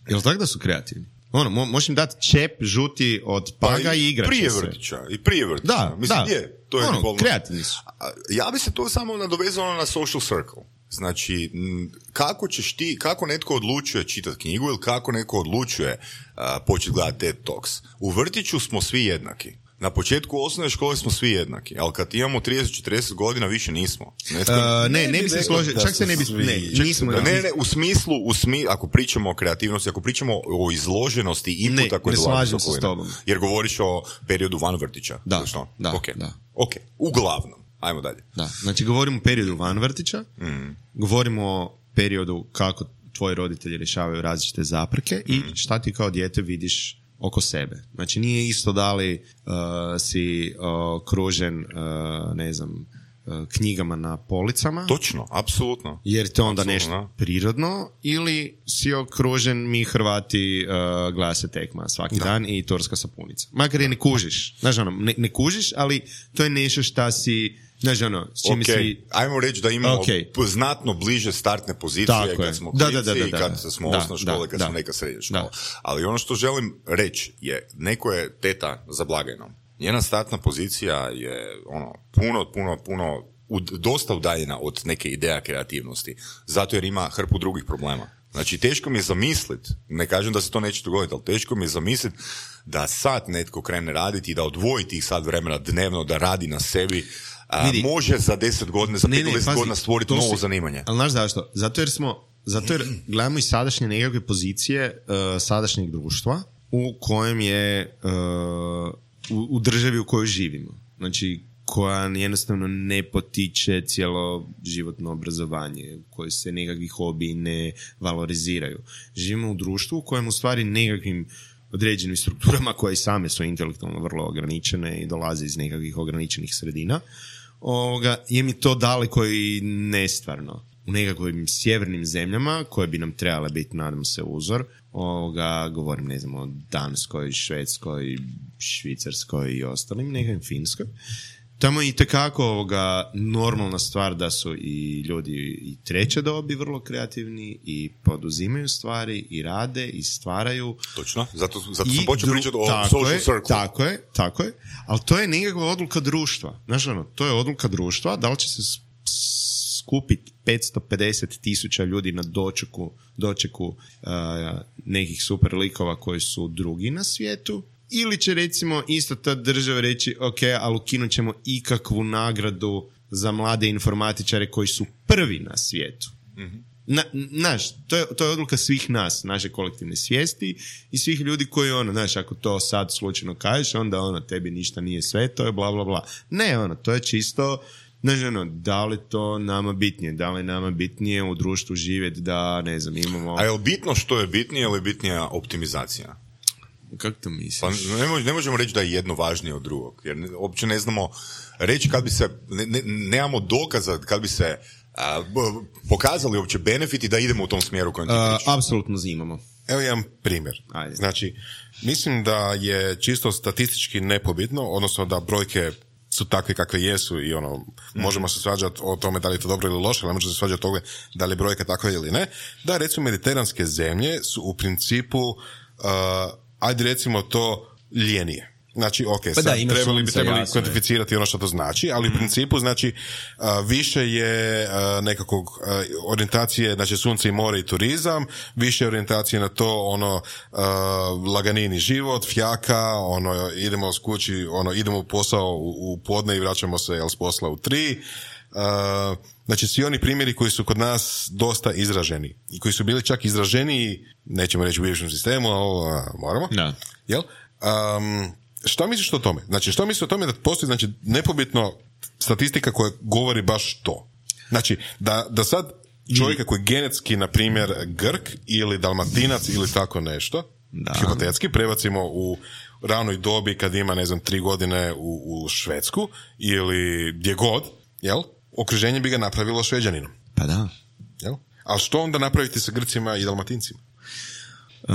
[SPEAKER 3] jel tako da su kreativni? Ono, mo- možeš im dati čep žuti od paga pa i, i igraće
[SPEAKER 2] prije
[SPEAKER 3] se.
[SPEAKER 2] vrtića, i prije vrtića.
[SPEAKER 3] Da,
[SPEAKER 2] mislim,
[SPEAKER 3] da.
[SPEAKER 2] Je, to je
[SPEAKER 3] ono, kreativni su.
[SPEAKER 2] Ja bi se to samo nadovezalo na social circle. Znači, kako ćeš ti, kako netko odlučuje čitati knjigu ili kako netko odlučuje uh, početi gledati TED Talks. U vrtiću smo svi jednaki. Na početku osnovne škole smo svi jednaki, ali kad imamo trideset četrdeset godina više nismo. Netko,
[SPEAKER 3] uh, ne, ne, ne bi se složio, čak se ne bi, ne, nismo.
[SPEAKER 2] Da, ne, ne, u smislu, u smi, ako pričamo o kreativnosti, ako pričamo o izloženosti inputa koji dolazi. Ne, ne slažem se s tobom. Jer govoriš o periodu van vrtića.
[SPEAKER 3] Da, da,
[SPEAKER 2] okay.
[SPEAKER 3] da.
[SPEAKER 2] Ok, uglavnom. Ajmo dalje.
[SPEAKER 3] Da, znači govorimo o periodu van vrtića, mm. govorimo o periodu kako tvoji roditelji rješavaju različite zapreke mm. i šta ti kao dijete vidiš oko sebe. Znači nije isto da li uh, si okružen, uh, uh, ne znam, uh, knjigama na policama.
[SPEAKER 2] Točno, apsolutno.
[SPEAKER 3] Jer to onda
[SPEAKER 2] apsolutno.
[SPEAKER 3] Nešto prirodno, ili si okružen, mi Hrvati uh, glase tekma svaki da. Dan i turska sapunica. Makar je ne kužiš. Znaš ono, ne, ne kužiš, ali to je nešto šta si... Znaš ono, s čime
[SPEAKER 2] okay.
[SPEAKER 3] si...
[SPEAKER 2] Ajmo reći da imamo
[SPEAKER 3] okay.
[SPEAKER 2] znatno bliže startne pozicije
[SPEAKER 3] tako
[SPEAKER 2] kad
[SPEAKER 3] je.
[SPEAKER 2] smo
[SPEAKER 3] da,
[SPEAKER 2] klinici
[SPEAKER 3] da, da, da,
[SPEAKER 2] i kad
[SPEAKER 3] da,
[SPEAKER 2] smo
[SPEAKER 3] da,
[SPEAKER 2] osnovna škola,
[SPEAKER 3] da,
[SPEAKER 2] kad
[SPEAKER 3] da,
[SPEAKER 2] smo neka srednja škola.
[SPEAKER 3] Da.
[SPEAKER 2] Ali ono što želim reći je, neko je teta za blagajnom. Njena startna pozicija je ono, puno, puno, puno, ud, dosta udaljena od neke ideja kreativnosti. Zato jer ima hrpu drugih problema. Znači, teško mi je zamisliti, ne kažem da se to neće dogoditi, ali teško mi je zamisliti da sad netko krene raditi i da odvoji tih sad vremena dnevno, da radi na sebi, a,
[SPEAKER 3] Vidi,
[SPEAKER 2] može za deset godina, za
[SPEAKER 3] ne,
[SPEAKER 2] pet
[SPEAKER 3] ne,
[SPEAKER 2] deset
[SPEAKER 3] pazi,
[SPEAKER 2] godina stvoriti
[SPEAKER 3] to
[SPEAKER 2] novo
[SPEAKER 3] si-
[SPEAKER 2] zanimanje.
[SPEAKER 3] Ali znaš zašto? Zato jer smo, zato jer gledamo i sadašnje nekakve pozicije uh, sadašnjeg društva u kojem je uh, u, u državi u kojoj živimo. Znači, koja jednostavno ne potiče cijelo životno obrazovanje, koje se nekakvi hobiji ne valoriziraju. Živimo u društvu u kojem u stvari nekakvim određenim strukturama koje i same su intelektualno vrlo ograničene i dolaze iz nekakvih ograničenih sredina, ovoga, je mi to daleko i nestvarno. U nekakvim sjevernim zemljama koje bi nam trebale biti, nadam se, uzor, ovoga, govorim, ne znam, o Danskoj, Švedskoj, Švicarskoj i ostalim, nekakvim Finskoj. Tamo je itekako ovoga normalna stvar da su i ljudi i treće dobi vrlo kreativni i poduzimaju stvari i rade i stvaraju.
[SPEAKER 2] Točno, zato, zato
[SPEAKER 3] I
[SPEAKER 2] sam počeo
[SPEAKER 3] dru-
[SPEAKER 2] pričati o
[SPEAKER 3] tako
[SPEAKER 2] social
[SPEAKER 3] je,
[SPEAKER 2] circle.
[SPEAKER 3] Tako je, tako je. Ali to je nekakva odluka društva. Znaš, ono, to je odluka društva. Da li će se s- skupiti petsto pedeset tisuća ljudi na dočeku, dočeku uh, nekih super likova koji su drugi na svijetu, ili će recimo isto ta država reći ok, ali ukinut ćemo ikakvu nagradu za mlade informatičare koji su prvi na svijetu. Mm-hmm. Na, naš, to je, to je odluka svih nas, naše kolektivne svijesti i svih ljudi koji, ono, znaš, ako to sad slučajno kažeš, onda ono, tebi ništa nije sve, to je bla bla bla. Ne, ono, to je čisto, znaš, ono, da li to nama bitnije, da li nama bitnije u društvu živjeti da, ne znam, imamo...
[SPEAKER 2] A je li bitno što je bitnije ili je bitnija optimizacija?
[SPEAKER 3] Kako to misliš?
[SPEAKER 2] Pa ne, mož, ne možemo reći da je jedno važnije od drugog, jer ne, uopće ne znamo reći kad bi se, ne, ne, nemamo dokaza kad bi se a, b, pokazali uopće benefiti da idemo u tom smjeru kojem ti
[SPEAKER 3] Uh,
[SPEAKER 2] pričaš.
[SPEAKER 3] apsolutno imamo.
[SPEAKER 4] Evo jedan primjer.
[SPEAKER 3] Ajde.
[SPEAKER 4] Znači, mislim da je čisto statistički nepobitno, odnosno da brojke su takve kakve jesu i ono, mm. možemo se svađati o tome da li je to dobro ili loše, ali možemo se svađati o tome da li je brojka takva ili ne, da recimo mediteranske zemlje su u principu, uh, ajde recimo to, ljenije. Znači, ok,
[SPEAKER 3] Pa
[SPEAKER 4] sad
[SPEAKER 3] da, ima
[SPEAKER 4] trebali bi
[SPEAKER 3] sunca,
[SPEAKER 4] trebali
[SPEAKER 3] jasno je.
[SPEAKER 4] kvantificirati ono što to znači, ali u principu, znači, uh, više je uh, nekakvog uh, orijentacije, znači sunce i more i turizam, više orijentacije na to, ono, uh, laganini život, fjaka, ono, idemo s kući, ono, idemo u posao u, u podne i vraćamo se, jel, s posla u tri. Uh, znači, svi oni primjeri koji su kod nas dosta izraženi i koji su bili čak izraženiji, nećemo reći u bivšem sistemu, ali uh, moramo.
[SPEAKER 3] Da.
[SPEAKER 4] Jel? Um, šta misliš o tome? Znači, što misliš o tome da postoji, znači, nepobitno statistika koja govori baš to? Znači, da, da sad čovjeka koji je genetski, na primjer, Grk ili Dalmatinac ili tako nešto,
[SPEAKER 3] Da.
[SPEAKER 4] hipotetski, prebacimo u ranoj dobi kad ima, ne znam, tri godine u, u Švedsku ili gdje god, jel? Okruženje bi ga napravilo Šveđaninom.
[SPEAKER 3] Pa da.
[SPEAKER 4] Jel? Ali što onda napraviti sa Grcima i Dalmatincima?
[SPEAKER 3] Uh,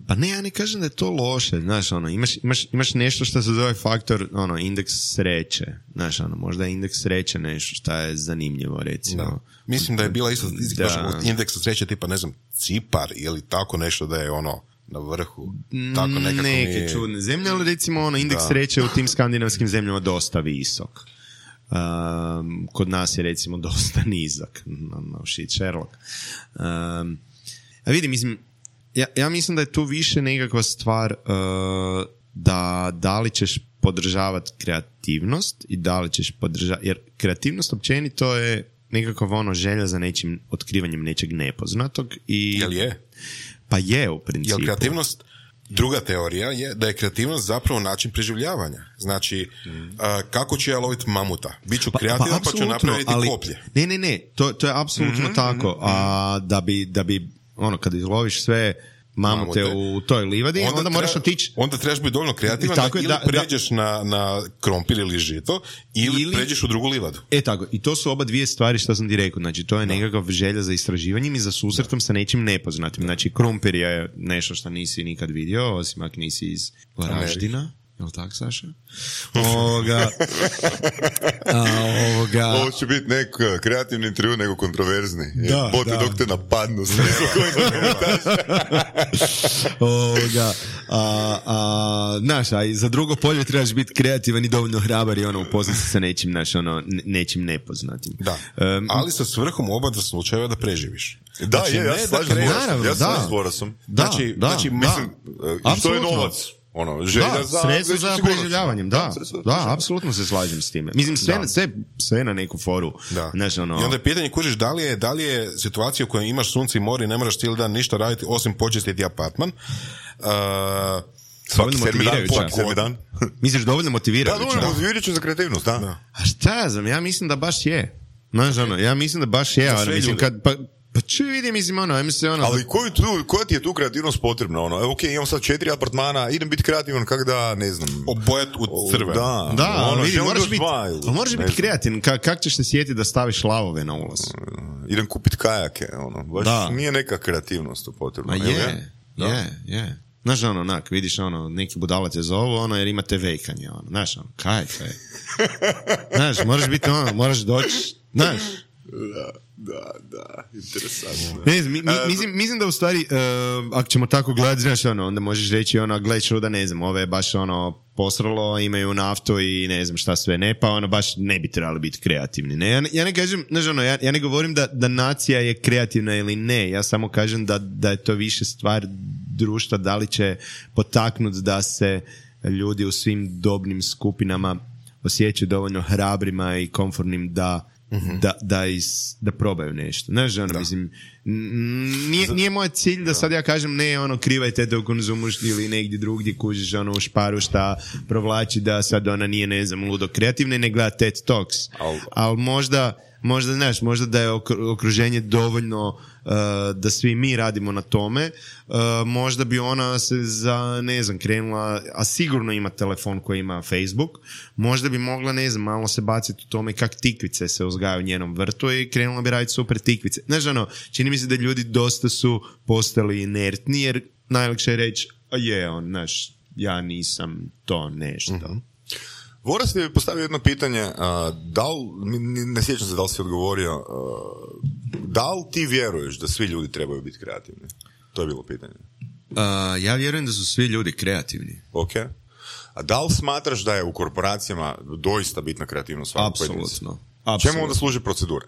[SPEAKER 3] pa ne, ja ne kažem da je to loše, znaš, ono, imaš, imaš, imaš nešto što se zove faktor, ono, indeks sreće, znaš, ono, možda je indeks sreće nešto što je zanimljivo, recimo.
[SPEAKER 4] Da. Mislim da je bila isto statistika
[SPEAKER 3] Da.
[SPEAKER 4] baš od indeksa sreće tipa, ne znam, Cipar ili tako nešto da je ono na vrhu. Tako nekako
[SPEAKER 3] Neke
[SPEAKER 4] mi...
[SPEAKER 3] čudne zemlje, ali recimo ono, indeks
[SPEAKER 4] Da.
[SPEAKER 3] sreće u tim skandinavskim zemljama dosta visok. Um, kod nas je recimo dosta nizak. No, no shit, Sherlock. Um, a vidi, mislim, ja, ja mislim da je tu više nekakva stvar uh, da da li ćeš podržavati kreativnost i da li ćeš podržavati, jer kreativnost općenito je nekakav ono želja za nečim otkrivanjem nečeg nepoznatog i...
[SPEAKER 4] Jel je?
[SPEAKER 3] Pa je u principu.
[SPEAKER 4] Jel kreativnost, druga teorija je da je kreativnost zapravo način preživljavanja. Znači, mm. a, kako ću ja loviti mamuta? Biću kreativan pa, pa ću
[SPEAKER 3] apsolutno,
[SPEAKER 4] napraviti
[SPEAKER 3] ali-
[SPEAKER 4] koplje.
[SPEAKER 3] Ne, ne, ne, to, to je apsolutno
[SPEAKER 4] Mhm,
[SPEAKER 3] tako. A da bi, da bi, ono, kad izloviš sve mamute,
[SPEAKER 4] Mamute.
[SPEAKER 3] u toj livadi, onda, onda moraš
[SPEAKER 4] treba-
[SPEAKER 3] otići.
[SPEAKER 4] Onda trebaš biti dovoljno kreativan
[SPEAKER 3] Tako
[SPEAKER 4] da
[SPEAKER 3] je,
[SPEAKER 4] ili
[SPEAKER 3] da- da-
[SPEAKER 4] pređeš na, na krompir ili žito ili,
[SPEAKER 3] Ili-
[SPEAKER 4] pređeš u drugu livadu.
[SPEAKER 3] E tako, i to su oba dvije stvari što sam ti rekao. Znači, to je nekakav želja za istraživanjem i za susretom sa nečim nepoznatim. Znači, krumpir je nešto što nisi nikad vidio, osim ako nisi iz Varaždina. Jel' tako, Saša? Ovoga... A, ovoga...
[SPEAKER 2] Ovo će biti nek kreativni intervju, nego kontroverzni.
[SPEAKER 3] Da,
[SPEAKER 2] Bote
[SPEAKER 3] da.
[SPEAKER 2] dok te napadnu. Sve
[SPEAKER 3] ovoga... A, a, znaš, a i za drugo polje trebaš biti kreativan i dovoljno hrabar i ono, upoznati se sa nečim, znaš, ono, nečim nepoznatim.
[SPEAKER 4] Da,
[SPEAKER 3] Um,
[SPEAKER 4] ali sa svrhom u oba dva slučajeva da preživiš.
[SPEAKER 2] Da,
[SPEAKER 4] Znači,
[SPEAKER 2] je, ja
[SPEAKER 4] ne
[SPEAKER 2] se
[SPEAKER 4] da
[SPEAKER 2] slažem s
[SPEAKER 4] kreneš-
[SPEAKER 2] Borasom.
[SPEAKER 3] Naravno,
[SPEAKER 2] Ja se
[SPEAKER 3] da.
[SPEAKER 2] slažem s Borasom.
[SPEAKER 3] Da,
[SPEAKER 4] Znači,
[SPEAKER 3] da,
[SPEAKER 4] znači,
[SPEAKER 3] da.
[SPEAKER 2] Mislim, i što je
[SPEAKER 3] Apsolutno.
[SPEAKER 2] novac? Ono, želja
[SPEAKER 3] Da,
[SPEAKER 2] za...
[SPEAKER 3] sredstvo za
[SPEAKER 2] sigurnost.
[SPEAKER 3] preživljavanjem, da,
[SPEAKER 2] sredstvo za
[SPEAKER 3] da,
[SPEAKER 2] preživljavanje.
[SPEAKER 3] apsolutno se slažem s time. Mislim, sve,
[SPEAKER 4] Da.
[SPEAKER 3] sve, sve na neku foru.
[SPEAKER 4] Da.
[SPEAKER 3] Znaš, ono,
[SPEAKER 4] I onda je pitanje, kužiš, da li je, da li je situacija u kojoj imaš sunce i more i ne moraš cijeli dan ništa raditi osim počistiti apartman. Uh,
[SPEAKER 2] Svaki sedmi dan,
[SPEAKER 3] motivirajuća.
[SPEAKER 2] svaki sedmi dan.
[SPEAKER 3] misliš dovoljno
[SPEAKER 2] Da,
[SPEAKER 3] motivirajuće?
[SPEAKER 2] dovoljno motivirajuće za kreativnost, da.
[SPEAKER 4] Da.
[SPEAKER 3] A šta ja znam, ja mislim da baš je. Znaš, ono, ja mislim da baš je,
[SPEAKER 4] Za
[SPEAKER 3] ali
[SPEAKER 4] sve
[SPEAKER 3] mislim,
[SPEAKER 4] ljude.
[SPEAKER 3] kad, pa, pa čuj vidi, mislim, ono, ajme se, ono,
[SPEAKER 2] Ali koju tu, koja ti je tu kreativnost potrebna? Ono, evo, ok, imam sad četiri apartmana, idem biti kreativan kak da, ne znam...
[SPEAKER 4] Obojat u crve.
[SPEAKER 2] Da,
[SPEAKER 3] da, ali
[SPEAKER 2] ono,
[SPEAKER 3] vidi,
[SPEAKER 2] želim
[SPEAKER 3] moraš
[SPEAKER 2] još
[SPEAKER 3] biti,
[SPEAKER 2] dva ili-
[SPEAKER 3] ali moraš
[SPEAKER 2] ne
[SPEAKER 3] biti
[SPEAKER 2] znam.
[SPEAKER 3] kreativan, Ka, kak ćeš se sjetiti da staviš lavove na ulaz?
[SPEAKER 2] Idem kupiti kajake, ono, baš
[SPEAKER 3] Da.
[SPEAKER 2] nije neka kreativnost tu potrebna.
[SPEAKER 3] A
[SPEAKER 2] jel
[SPEAKER 3] je,
[SPEAKER 2] Da.
[SPEAKER 3] je, je. Znaš, ono, onak, vidiš, ono, neki budala te zovu, ono, jer imate vejkanje, ono, znaš, ono, kaj, kaj. Znaš, moraš biti, ono, moraš doći, znaš.
[SPEAKER 2] Da, da, da, interesantno.
[SPEAKER 3] Ne znam, mi, mi, mislim, mislim da u stvari, uh, ako ćemo tako gledati, znaš, ono, onda možeš reći, ono, gledaj čuda, ne znam, ove je baš, ono, posralo, imaju naftu i ne znam šta sve ne, pa ono, baš ne bi trebali biti kreativni, ne? Ja, ne- ja ne kažem, znaš, ono, ja, ja ne govorim da, da nacija je kreativna ili ne, ja samo kažem da, da je to više stvar društva, da li će potaknuti da se ljudi u svim dobnim skupinama osjećaju dovoljno hrabrima i komfortnim da Da, da, is, da probaju nešto. Znaš, ono, mislim, n- nije, nije moj cilj da sad ja kažem ne, ono, krivajte te u konzumu ili negdje drugdje kužiš, ono, u šparu šta provlači da sad ona nije, ne znam, ludo kreativna i ne gleda TED Talks.
[SPEAKER 2] Al-
[SPEAKER 3] Ali možda, možda, znaš, možda da je okru- okruženje dovoljno uh, da svi mi radimo na tome, uh, možda bi ona se za, ne znam, krenula, a sigurno ima telefon koji ima Facebook, možda bi mogla, ne znam, malo se baciti u tome kak tikvice se uzgajaju u njenom vrtu i krenula bi raditi super tikvice. Znaš, ono, čini mi se da ljudi dosta su postali inertni, jer najlakše je reći, a je, on, znaš, ja nisam to nešto.
[SPEAKER 2] Mhm. Voras je postavio jedno pitanje, a, da li, ni- ne sjećam se da li si odgovorio, a, da li ti vjeruješ da svi ljudi trebaju biti kreativni? To je bilo pitanje.
[SPEAKER 3] Uh, ja vjerujem da su svi ljudi kreativni.
[SPEAKER 2] Ok. A da li smatraš da je u korporacijama doista bitna kreativnost svakog pojedinca?
[SPEAKER 3] Apsolutno.
[SPEAKER 2] Čemu
[SPEAKER 3] Apsolutno.
[SPEAKER 2] onda služe procedure?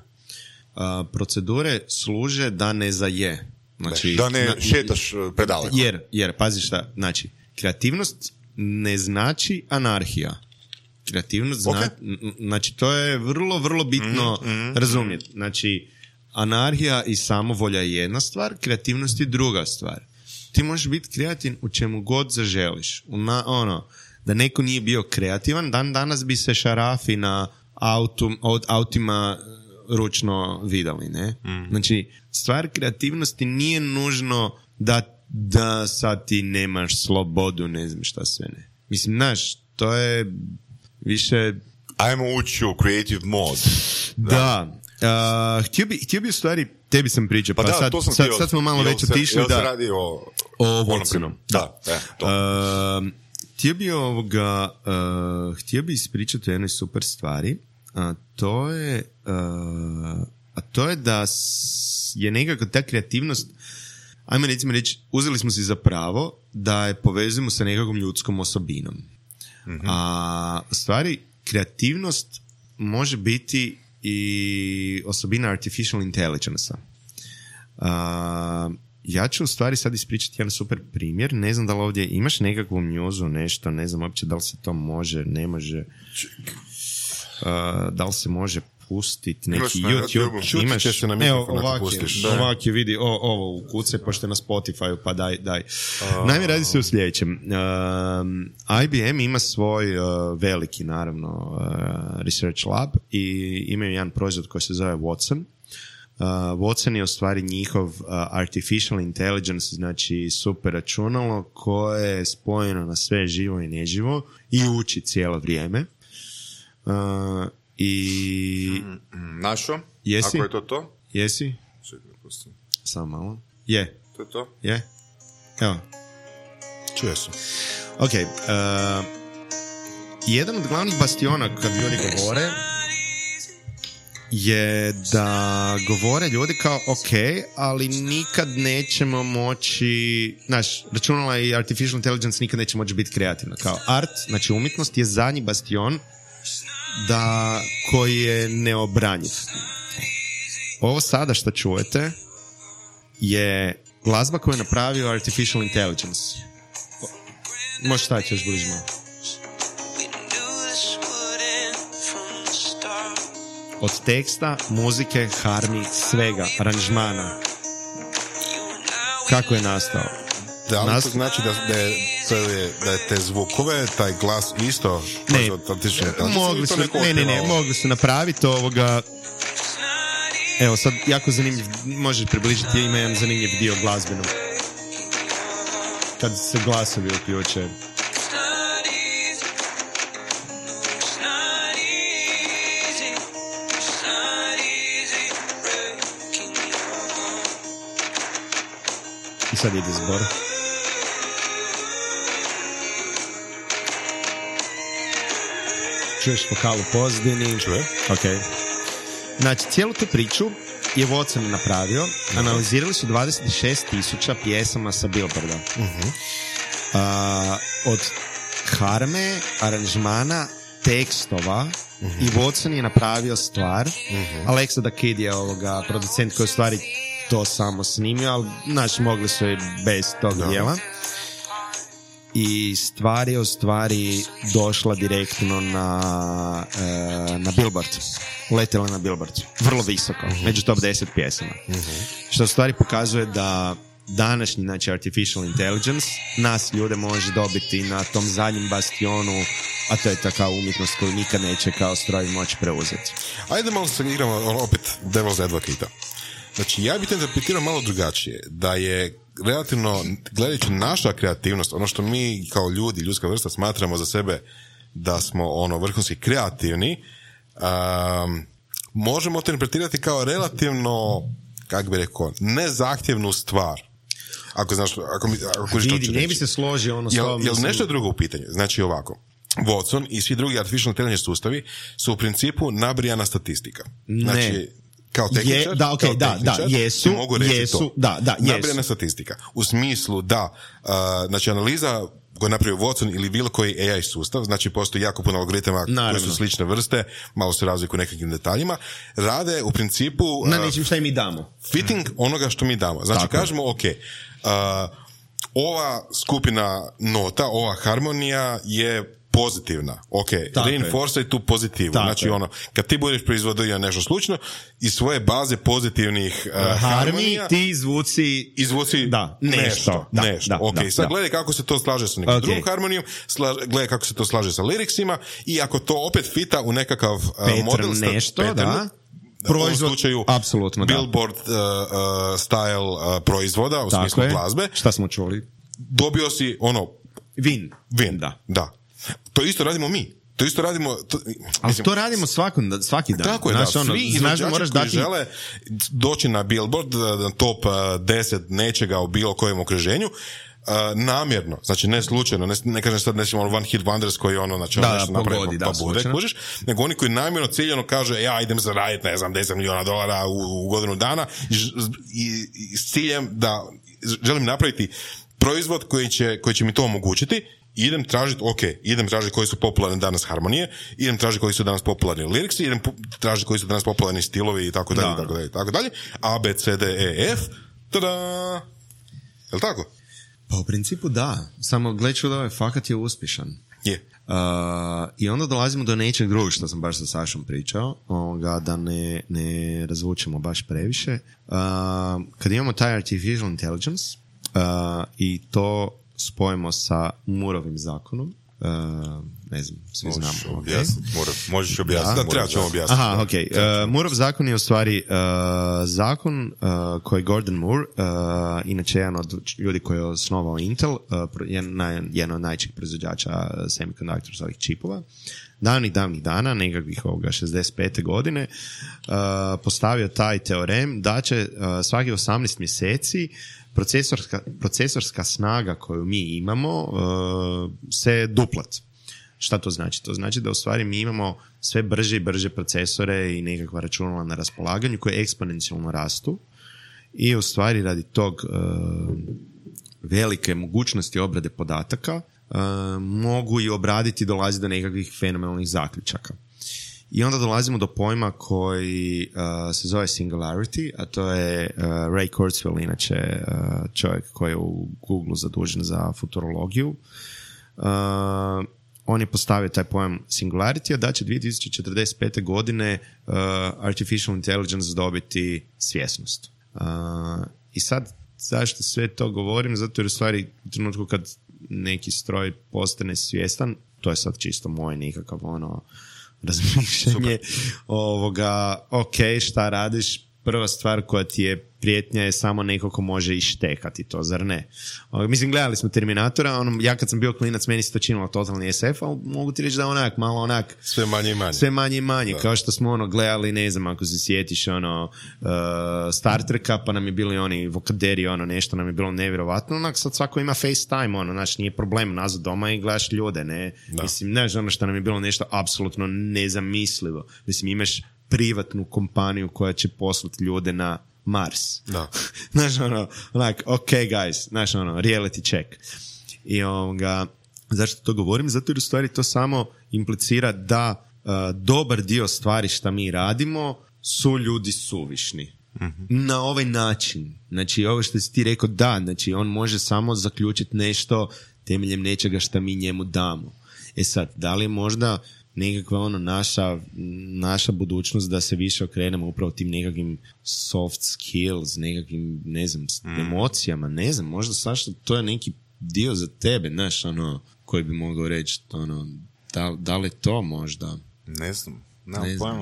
[SPEAKER 3] Uh, procedure služe da ne zaje. Znači,
[SPEAKER 2] Da ne
[SPEAKER 3] na-
[SPEAKER 2] šetaš uh, predaleko.
[SPEAKER 3] Jer, jer, pazi šta, znači, kreativnost ne znači anarhija. Kreativnost zna,
[SPEAKER 2] Ok.
[SPEAKER 3] n- n- znači, to je vrlo, vrlo bitno razumjeti. Znači, anarhija i samovolja je jedna stvar, kreativnost je druga stvar. Ti možeš biti kreativan u čemu god zaželiš. U na, ono, da neko nije bio kreativan, dan danas bi se šarafi na autu, od autima ručno vidali, ne? Znači, stvar kreativnosti nije nužno da, da sad ti nemaš slobodu, ne znam šta sve ne. Mislim, znaš, to je više...
[SPEAKER 2] Ajmo ući u creative mode.
[SPEAKER 3] Da. Uh, htio, bi, htio bi u stvari, tebi sam pričao, pa,
[SPEAKER 2] Pa da,
[SPEAKER 3] sad,
[SPEAKER 2] to sam
[SPEAKER 3] sad,
[SPEAKER 2] htio.
[SPEAKER 3] sad smo malo
[SPEAKER 2] Jel
[SPEAKER 3] već
[SPEAKER 2] se-
[SPEAKER 3] otišli
[SPEAKER 2] jel se
[SPEAKER 3] da...
[SPEAKER 2] radi o...
[SPEAKER 3] O
[SPEAKER 2] onom
[SPEAKER 3] Watsonu.
[SPEAKER 2] primjeru? Da, e, to.
[SPEAKER 3] Uh, htio bi ovoga, uh, htio bi ispričati o jednoj super stvari, a to je, uh, a to je da s- je nekako ta kreativnost, ajme recimo reći, uzeli smo si za pravo da je povezujemo sa nekakvom ljudskom osobinom. A u stvari, kreativnost može biti i osobina artificial intelligence-a. A, ja ću u stvari sad ispričati jedan super primjer. Ne znam da li ovdje imaš nekakvu njuzu, nešto, ne znam uopće da li se to može, ne može. A, da li se može pustiti neki
[SPEAKER 2] Imaš na
[SPEAKER 3] YouTube.
[SPEAKER 2] YouTubeu.
[SPEAKER 4] Čutit će se na
[SPEAKER 3] Evo,
[SPEAKER 4] mikrofon ako
[SPEAKER 3] ovak je,
[SPEAKER 4] pustiš.
[SPEAKER 2] Da.
[SPEAKER 3] ovak je, vidi, o, ovo u kuce, pošto je na Spotify, pa daj, daj. Naime, radi se o sljedećem. Um, I B M ima svoj uh, veliki, naravno, uh, research lab i imaju jedan proizvod koji se zove Watson. Uh, Watson je u stvari njihov uh, artificial intelligence, znači super računalo koje je spojeno na sve živo i neživo i uči cijelo vrijeme. Uh, I
[SPEAKER 2] Našo?
[SPEAKER 3] Jesi?
[SPEAKER 2] Ako je to to?
[SPEAKER 3] jesi?
[SPEAKER 2] Čekaj, pustim.
[SPEAKER 3] Samo malo. Je,
[SPEAKER 2] To je to?
[SPEAKER 3] je. Evo.
[SPEAKER 4] Čuo sam.
[SPEAKER 3] Ok, uh, jedan od glavnih bastiona kad ljudi govore je da govore ljudi kao ok, ali nikad nećemo moći, znaš, računala i artificial intelligence nikad neće moći biti kreativna. Kao art, znači umjetnost je zadnji bastion da, koji je neobranjiv. Ovo sada što čujete je glazba koju je napravio artificial intelligence. Možeš staviti još bliže malo. Od teksta, muzike, harmi, svega, aranžmana. Kako je nastao?
[SPEAKER 4] Da, ali
[SPEAKER 3] Nas...
[SPEAKER 4] to znači da, da, je, to je, da je te zvukove, taj glas isto...
[SPEAKER 3] Ne,
[SPEAKER 4] to
[SPEAKER 3] mogli su, ne, ne, ne, mogli su napraviti ovoga... Evo, sad jako zanimljiv, možeš približiti, ima jedan zanimljiv dio glazbenog. Kad se glasovi uključe. I sad ide zbor. Čuješ vokal u pozadini?
[SPEAKER 4] Čuje.
[SPEAKER 3] Ok. Znači, cijelu tu priču je Watson napravio. Analizirali su dvadeset šest tisuća pjesama sa Billboarda. Uh-huh. Uh, od harme, aranžmana, tekstova, uh-huh. i Watson je napravio stvar. Uh-huh. Alexa da Kid je ovoga producent koji u stvari to samo snimio, ali naši mogli su i bez tog no. dijela. I stvar je u stvari došla direktno na, e, na Billboard. Uletjela na Billboard. Vrlo visoko. Uh-huh. Među top deset pjesama. Uh-huh. Što u stvari pokazuje da današnji, znači artificial intelligence, nas ljude može dobiti na tom zadnjem bastionu, a to je taka umjetnost koju nikad neće kao stroj moći preuzeti.
[SPEAKER 4] Ajde malo se igramo opet devil's advocate. Znači, ja bih te interpretirao malo drugačije. Da je relativno, gledajući naša kreativnost, ono što mi kao ljudi, ljudska vrsta smatramo za sebe da smo ono vrhunski kreativni, um, možemo to interpretirati kao relativno, kako bi rekao, nezahtjevnu stvar. Ako znaš, ako mi, ako
[SPEAKER 3] vidi, ne bi se složio ono s
[SPEAKER 4] jel,
[SPEAKER 3] tom.
[SPEAKER 4] Jel nešto je drugo u pitanju? Znači ovako, Watson i svi drugi artificial intelligence sustavi su u principu nabrijana statistika. Znači,
[SPEAKER 3] ne.
[SPEAKER 4] Kao tehničar,
[SPEAKER 3] je, da, okay,
[SPEAKER 4] kao
[SPEAKER 3] da, da, jesu,
[SPEAKER 4] mogu reći
[SPEAKER 3] jesu,
[SPEAKER 4] to.
[SPEAKER 3] da, da, jesu.
[SPEAKER 4] Nabrijana statistika. U smislu da, uh, znači analiza koju je napravio Watson ili bilo koji A I sustav, znači postoji jako puno algoritama koji su slične vrste, malo se razlikuju u nekakvim detaljima, rade u principu... Uh,
[SPEAKER 3] na nečim šta i mi damo.
[SPEAKER 4] Fitting onoga što mi damo. Znači tako. Kažemo, ok, uh, ova skupina nota, ova harmonija je pozitivna. Ok, reinforce tu pozitivu. Tako znači je. Ono, kad ti budeš proizvodio nešto slučno, iz svoje baze pozitivnih uh, harmi, harmonija,
[SPEAKER 3] ti izvuci,
[SPEAKER 4] izvuci
[SPEAKER 3] da,
[SPEAKER 4] nešto.
[SPEAKER 3] nešto. Da,
[SPEAKER 4] nešto.
[SPEAKER 3] Da,
[SPEAKER 4] ok,
[SPEAKER 3] da,
[SPEAKER 4] sad
[SPEAKER 3] da.
[SPEAKER 4] gledaj kako se to slaže sa nekom okay. drugom harmonijom, sla, gledaj kako se to slaže sa liriksima i ako to opet fita u nekakav uh, model
[SPEAKER 3] nešto,
[SPEAKER 4] pattern,
[SPEAKER 3] da.
[SPEAKER 4] Proizvod, u slučaju
[SPEAKER 3] apsolutno,
[SPEAKER 4] Billboard uh, uh, style uh, proizvoda u tako smislu je. Glazbe.
[SPEAKER 3] Šta smo čuli?
[SPEAKER 4] Dobio si ono
[SPEAKER 3] Vin.
[SPEAKER 4] Vin,
[SPEAKER 3] da.
[SPEAKER 4] da. To isto radimo mi. To isto radimo... To,
[SPEAKER 3] ali mislim, to radimo svaki, svaki dan.
[SPEAKER 4] Tako je,
[SPEAKER 3] znaš,
[SPEAKER 4] da.
[SPEAKER 3] Ono,
[SPEAKER 4] svi izvođači koji dati... žele doći na Billboard, na top deset nečega u bilo kojem okruženju, uh, namjerno, znači ne slučajno, ne, ne kažem sad nećemo one hit wonders koji ono, znači
[SPEAKER 3] da,
[SPEAKER 4] nešto
[SPEAKER 3] da,
[SPEAKER 4] napravimo,
[SPEAKER 3] pogodi,
[SPEAKER 4] pa
[SPEAKER 3] da,
[SPEAKER 4] bude, kužiš, nego oni koji namjerno ciljeno kaže, ja idem zaraditi, ne znam, deset milijuna dolara u, u godinu dana i, i, i s ciljem da želim napraviti proizvod koji će, koji će mi to omogućiti. Idem tražiti, ok, idem tražiti koji su popularni danas harmonije, idem tražiti koji su danas popularni liriksi, idem tražiti koji su danas popularni stilovi i tako dalje, i tako dalje, i tako dalje. A, B, C, D, E, F, tada! Je li tako?
[SPEAKER 3] Pa u principu da, samo gle čudo, ovaj fakat je uspješan.
[SPEAKER 4] Je.
[SPEAKER 3] Uh, I onda dolazimo do nečeg drugog što sam baš sa Sašom pričao, ovoga, da ne, ne razvučemo baš previše. Uh, kad imamo taj artificial intelligence uh, i to spojimo sa Mooreovim zakonom, uh, ne znam, svi
[SPEAKER 2] možeš
[SPEAKER 3] znamo.
[SPEAKER 2] Objasniti, okay. Možeš objasniti.
[SPEAKER 4] Da, da treba ćemo objasniti.
[SPEAKER 3] Aha, ok. Uh, Mooreov zakon je u stvari uh, zakon uh, koji Gordon Moore, uh, inače jedan od ljudi koji je osnovao Intel, uh, jedan, jedan od najčih proizvođača semiconductors, ovih čipova, davnih, davnih dana, nekakvih ovoga šezdeset pete godine, uh, postavio taj teorem da će uh, svaki osamnaest mjeseci Procesorska, procesorska snaga koju mi imamo uh, se duplat. Šta to znači? To znači da u stvari mi imamo sve brže i brže procesore i nekakva računala na raspolaganju koje eksponencijalno rastu i u stvari radi tog uh, velike mogućnosti obrade podataka uh, mogu i obraditi i dolazi do nekakvih fenomenalnih zaključaka. I onda dolazimo do pojma koji uh, se zove singularity, a to je uh, Ray Kurzweil, inače uh, čovjek koji je u Google zadužen za futurologiju. Uh, on je postavio taj pojam singularity, a da će dvije tisuće četrdeset pete godine uh, artificial intelligence dobiti svjesnost. Uh, I sad, zašto sve to govorim? Zato jer u stvari u trenutku kad neki stroj postane svjestan, to je sad čisto moje nekakav ono razmišljanje ovoga, ok, šta radiš, prva stvar koja ti je prijetnja je samo neko ko može ištekati to, zar ne? O, mislim, gledali smo Terminatora, ono, ja kad sam bio klinac, meni se to činilo totalni es ef, ali mogu ti reći da onak, malo onak...
[SPEAKER 4] Sve manje i manje.
[SPEAKER 3] Sve manje i manje, da. Kao što smo ono gledali, ne znam, ako se sjetiš ono, uh, Star Treka, pa nam je bili oni vokaderi, ono, nešto nam je bilo nevjerovatno, onak, sad svako ima FaceTime, ono, znaš, nije problem, nazad doma i gledaš ljude, ne? Da. Mislim, znaš, ono što nam je bilo nešto apsolutno nezamislivo. Mislim, imaš privatnu kompaniju koja će poslati ljude na Mars.
[SPEAKER 4] Da.
[SPEAKER 3] Znaš, ono, like, ok guys, znaš, ono, reality check. I ovoga, zašto to govorim? Zato jer u stvari to samo implicira da uh, dobar dio stvari šta mi radimo su ljudi suvišni. Mm-hmm. Na ovaj način. Znači, ovo što si ti rekao, da, znači, on može samo zaključiti nešto temeljem nečega šta mi njemu damo. E sad, da li je možda nekakva ono naša, naša budućnost da se više okrenemo upravo tim nekakvim soft skills, nekakvim, ne znam, mm. emocijama, ne znam, možda Saša, to je neki dio za tebe, znaš, ono, koji bi mogao reći, ono, da, da li to možda?
[SPEAKER 2] Ne znam, ne znam.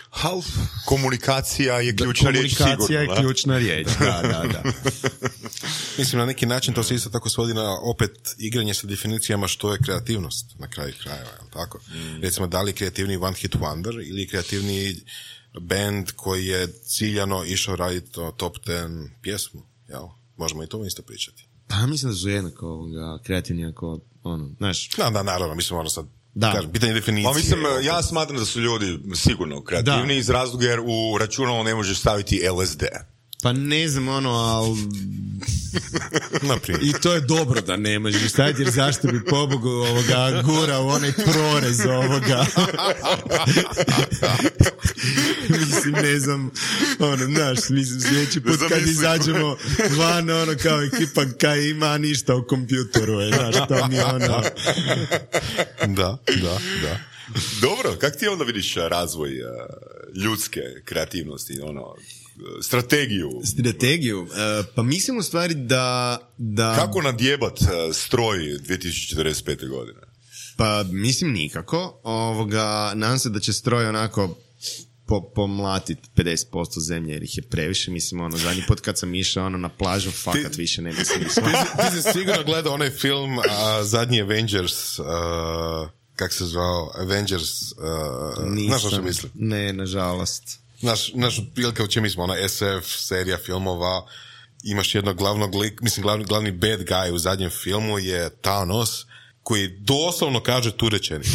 [SPEAKER 2] Half. Komunikacija je ključna riječ, sigurno.
[SPEAKER 3] Komunikacija je ključna riječ, da, da, da.
[SPEAKER 4] Mislim, na neki način to se isto tako svodi na opet igranje sa definicijama što je kreativnost na kraju krajeva, je li tako? Mm. Recimo, da li je kreativni one hit wonder ili kreativni band koji je ciljano išao raditi top ten pjesmu, jel? Možemo i to isto pričati.
[SPEAKER 3] Pa mislim da su jednako ovoga, kreativni ako, ono, znaš...
[SPEAKER 4] Da, da, naravno, mislim, ono sad...
[SPEAKER 3] Da.
[SPEAKER 4] Kažem, pitanje definicije.
[SPEAKER 2] Pa mislim, ja smatram da su ljudi sigurno kreativni da. Iz razloga jer u računalo ne možeš staviti el es de.
[SPEAKER 3] Pa ne znam, ono, ali... I to je dobro da ne možeš staviti, jer zašto bi pobogu ovoga gura u onaj prorez ovoga. Mislim, ne znam, ono, znaš, mislim, sljedeći put kad izađemo van, ono, kao ekipa kaj ima ništa u kompjutoru, je, znaš, to mi je ono...
[SPEAKER 4] Da, da, da.
[SPEAKER 2] Dobro, kak ti onda vidiš razvoj uh, ljudske kreativnosti, ono... strategiju.
[SPEAKER 3] Strategiju? Uh, pa mislim u stvari da... da...
[SPEAKER 2] Kako nadjebat uh, stroj dvije tisuće četrdeset pete godine?
[SPEAKER 3] Pa mislim nikako. Ovoga, nadam se da će stroj onako po, pomlatit pedeset posto zemlje jer ih je previše. Mislim, ono, zadnji put kad sam išao ono, na plažu, fakat ti, više ne mislim.
[SPEAKER 4] Ti, ti si sigurno gledao onaj film uh, zadnji Avengers... Uh... Kak se zvao? Avengers... Uh, znaš što mislim?
[SPEAKER 3] Ne, nažalost.
[SPEAKER 4] Naš, naš prilika u čem smo, ona es ef serija filmova, imaš jednog glavnog lik, mislim glavni, glavni bad guy u zadnjem filmu je Thanos, koji doslovno kaže tu rečenicu.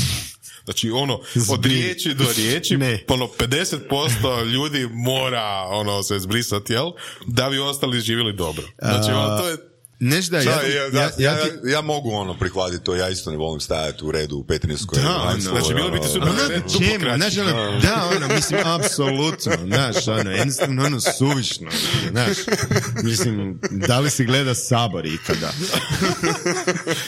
[SPEAKER 4] Znači, ono, od riječi do riječi, ono, pedeset posto ljudi mora, ono, se zbrisati, jel? Da bi ostali živjeli dobro. Znači, ono, to je...
[SPEAKER 3] Nešto da, ja,
[SPEAKER 2] ja, ja, ja, ja, ja mogu ono prihvatiti to, ja isto ne volim stajati u redu u Petrinjskoj.
[SPEAKER 3] Da, ono,
[SPEAKER 4] znači bilo biti super.
[SPEAKER 3] Ono, znaš, ono, da, ono, mislim, apsolutno, znaš, ono, jednostavno, ono, suvišno, znaš, mislim, da li si gleda Sabor ikada?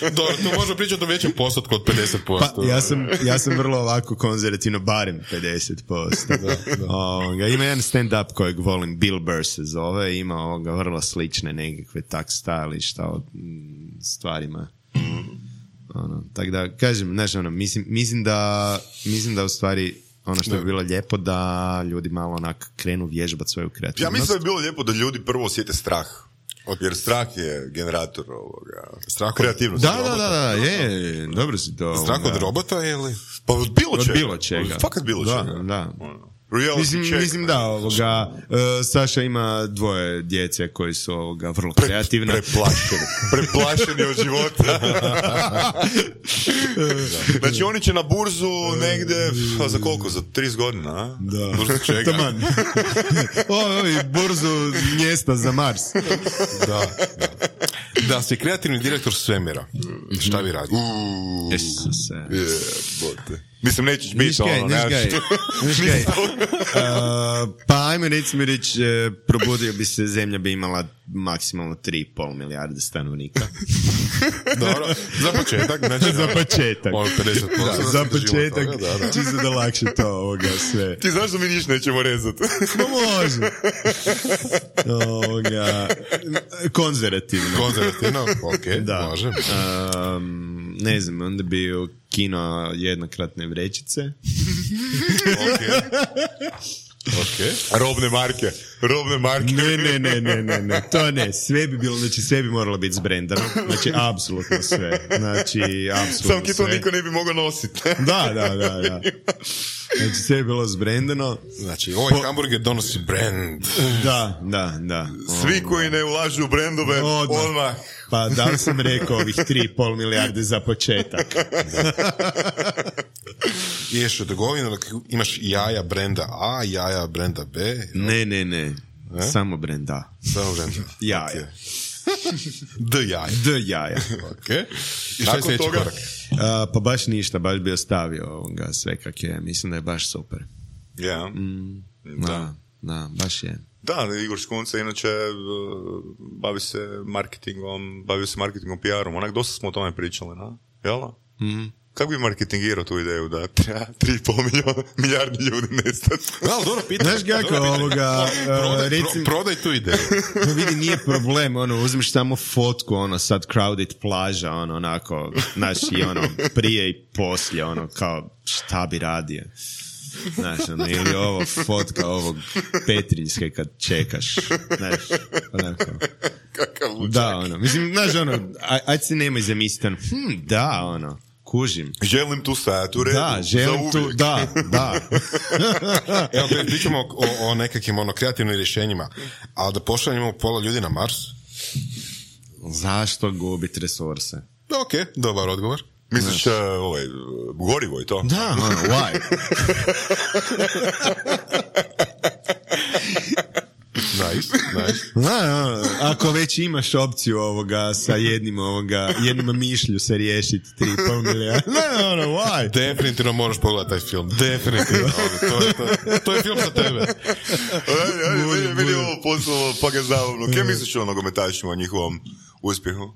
[SPEAKER 4] Dobro, to možemo pričati o većem postotku od pedeset posto.
[SPEAKER 3] Pa, ja sam, ja sam vrlo ovako konzervativno, barem pedeset posto. Da, da. Ovoga, ima jedan stand-up kojeg volim, Bill Burr se zove, ima ovoga vrlo slične nekakve tak stali šta o stvarima. Ono, tako da, kažem, znaš, ono, mislim, mislim da mislim da u stvari ono što bi bilo lijepo da ljudi malo onak krenu vježbati svoju kreativnost.
[SPEAKER 2] Ja mislim da bi bilo lijepo da ljudi prvo osjete strah. Jer strah je generator ovoga. Strah kreativnosti.
[SPEAKER 3] Da, da, da, da, je, dobro si to.
[SPEAKER 4] Strah od robota ili?
[SPEAKER 2] Pa od bilo čega.
[SPEAKER 3] Od bilo čega.
[SPEAKER 2] Fakat bilo čega.
[SPEAKER 3] Da, da.
[SPEAKER 2] Reality
[SPEAKER 3] mislim,
[SPEAKER 2] check.
[SPEAKER 3] mislim da, ovoga, uh, Saša ima dvoje djece koji su ovoga vrlo
[SPEAKER 2] Pre,
[SPEAKER 3] kreativna.
[SPEAKER 2] preplašeni. Preplašeni od života. Znači oni će na burzu negde, a za koliko? Za trideset godina, a?
[SPEAKER 3] Da.
[SPEAKER 2] Burzu čega?
[SPEAKER 3] Taman. Oj, burzu mjesta za Mars.
[SPEAKER 4] Da, da. Da si kreativni direktor svemira, šta bi radio?
[SPEAKER 2] Uuu,
[SPEAKER 3] Isuse.
[SPEAKER 2] je, bote. Mislim, nećeš biti ono,
[SPEAKER 3] Niškaj,
[SPEAKER 2] nemaš...
[SPEAKER 3] niškaj. Uh, pa ajme recimo reći, e, probudio bi se, zemlja bi imala maksimalno tri i pol milijarde stanovnika.
[SPEAKER 4] Dobro, za početak. Znači,
[SPEAKER 3] Za početak.
[SPEAKER 4] ono pedeset posto
[SPEAKER 3] Da, za
[SPEAKER 4] da se držimo
[SPEAKER 3] početak,
[SPEAKER 4] toga, da, da.
[SPEAKER 3] čisto da lakše to ovoga sve.
[SPEAKER 2] Ti znaš da mi ništa nećemo rezati.
[SPEAKER 3] No može. Ovoga, konzervativno.
[SPEAKER 4] Konzervativno, ok,
[SPEAKER 3] Da.
[SPEAKER 4] može.
[SPEAKER 3] Um, ne znam, onda bi kino jednokratne vrećice.
[SPEAKER 4] Ok. Ok.
[SPEAKER 2] Robne marke. Robne marke.
[SPEAKER 3] Ne, ne, ne, ne, ne, ne, to ne, sve bi bilo, znači sve bi moralo biti zbrendano, znači apsolutno sve, znači apsolutno
[SPEAKER 2] Sam ki to
[SPEAKER 3] sve.
[SPEAKER 2] niko ne bi mogao nositi.
[SPEAKER 3] Da, da, da, da. Znači sve je bilo zbrendano.
[SPEAKER 4] Znači, ovaj hamburger donosi brand.
[SPEAKER 3] Da, da, da.
[SPEAKER 2] Svi koji ne ulažu u brendove,
[SPEAKER 3] Odmah.
[SPEAKER 2] odmah.
[SPEAKER 3] Pa da li sam rekao ovih tri i pol milijarde za početak?
[SPEAKER 4] Ideš u trgovinu, imaš jaja brenda A, jaja brenda B.
[SPEAKER 3] Ne, ne, ne,
[SPEAKER 4] E?
[SPEAKER 3] samo brand A.
[SPEAKER 4] Samo brenda.
[SPEAKER 3] Jaja.
[SPEAKER 4] D jaja.
[SPEAKER 3] D jaja.
[SPEAKER 4] Ok. I šta je
[SPEAKER 2] Nakon
[SPEAKER 4] sljedeći
[SPEAKER 2] toga?
[SPEAKER 4] korak?
[SPEAKER 3] A, pa baš ništa, baš bi ostavio ovoga sve kak je, mislim da je baš super.
[SPEAKER 2] Ja.
[SPEAKER 3] Mm,
[SPEAKER 2] Da.
[SPEAKER 3] da, da, baš je.
[SPEAKER 2] Da, Igor Škunca inače uh, bavi se marketingom, bavi se marketingom, P R-om. Onak, dosta smo o tome pričali, na? Jel?
[SPEAKER 3] Mm.
[SPEAKER 2] Kako bi marketingirao tu ideju da treba tri i pol milijardi ljudi nestati?
[SPEAKER 4] Da, ali dobro pitanje.
[SPEAKER 3] Znaš kako,
[SPEAKER 4] Dobro pitanje.
[SPEAKER 3] ovoga,
[SPEAKER 4] Prodaj,
[SPEAKER 3] uh, recim-
[SPEAKER 4] pro, prodaj tu ideju.
[SPEAKER 3] No vidi, nije problem, ono, uzmeš samo fotku, ono, sad crowded plaža, ono, onako, znaš, i ono, prije i poslije, ono, kao, šta bi radio? Znaš, ono, ili ovo, fotka ovog Petrinjske kad čekaš, znaš, onako.
[SPEAKER 2] Kakav lučak.
[SPEAKER 3] Da, ono, mislim, znaš, ono, aj, ajde se nemoj zamisliti, ono, hm, da, ono, kužim.
[SPEAKER 2] Želim tu stajati u redu.
[SPEAKER 3] Da, želim
[SPEAKER 2] za
[SPEAKER 3] tu,
[SPEAKER 2] uvijek.
[SPEAKER 3] da, da.
[SPEAKER 4] Evo, kad pričamo o, o nekakvim ono, kreativnim rješenjima, ali da pošaljemo pola ljudi na Mars?
[SPEAKER 3] Zašto gubit resurse?
[SPEAKER 4] Da, ok, dobar odgovor.
[SPEAKER 2] Misliš, uh, ovaj, gorivo i to?
[SPEAKER 3] Da, ono, why?
[SPEAKER 4] Nice, nice.
[SPEAKER 3] Da, ono, ako već imaš opciju ovoga sa jednim ovoga, jednom mišlju se riješiti tri i pol milijarda. Ne, ono, why?
[SPEAKER 4] Definitivno moraš pogledati taj film. Definitivno. Ono, to, je, to, to je film za tebe.
[SPEAKER 2] Ajde, ajde, meni, meni je ovo poslalo pa ga zabavno. Kaj misliš o nogometašima, o njihovom uspjehu?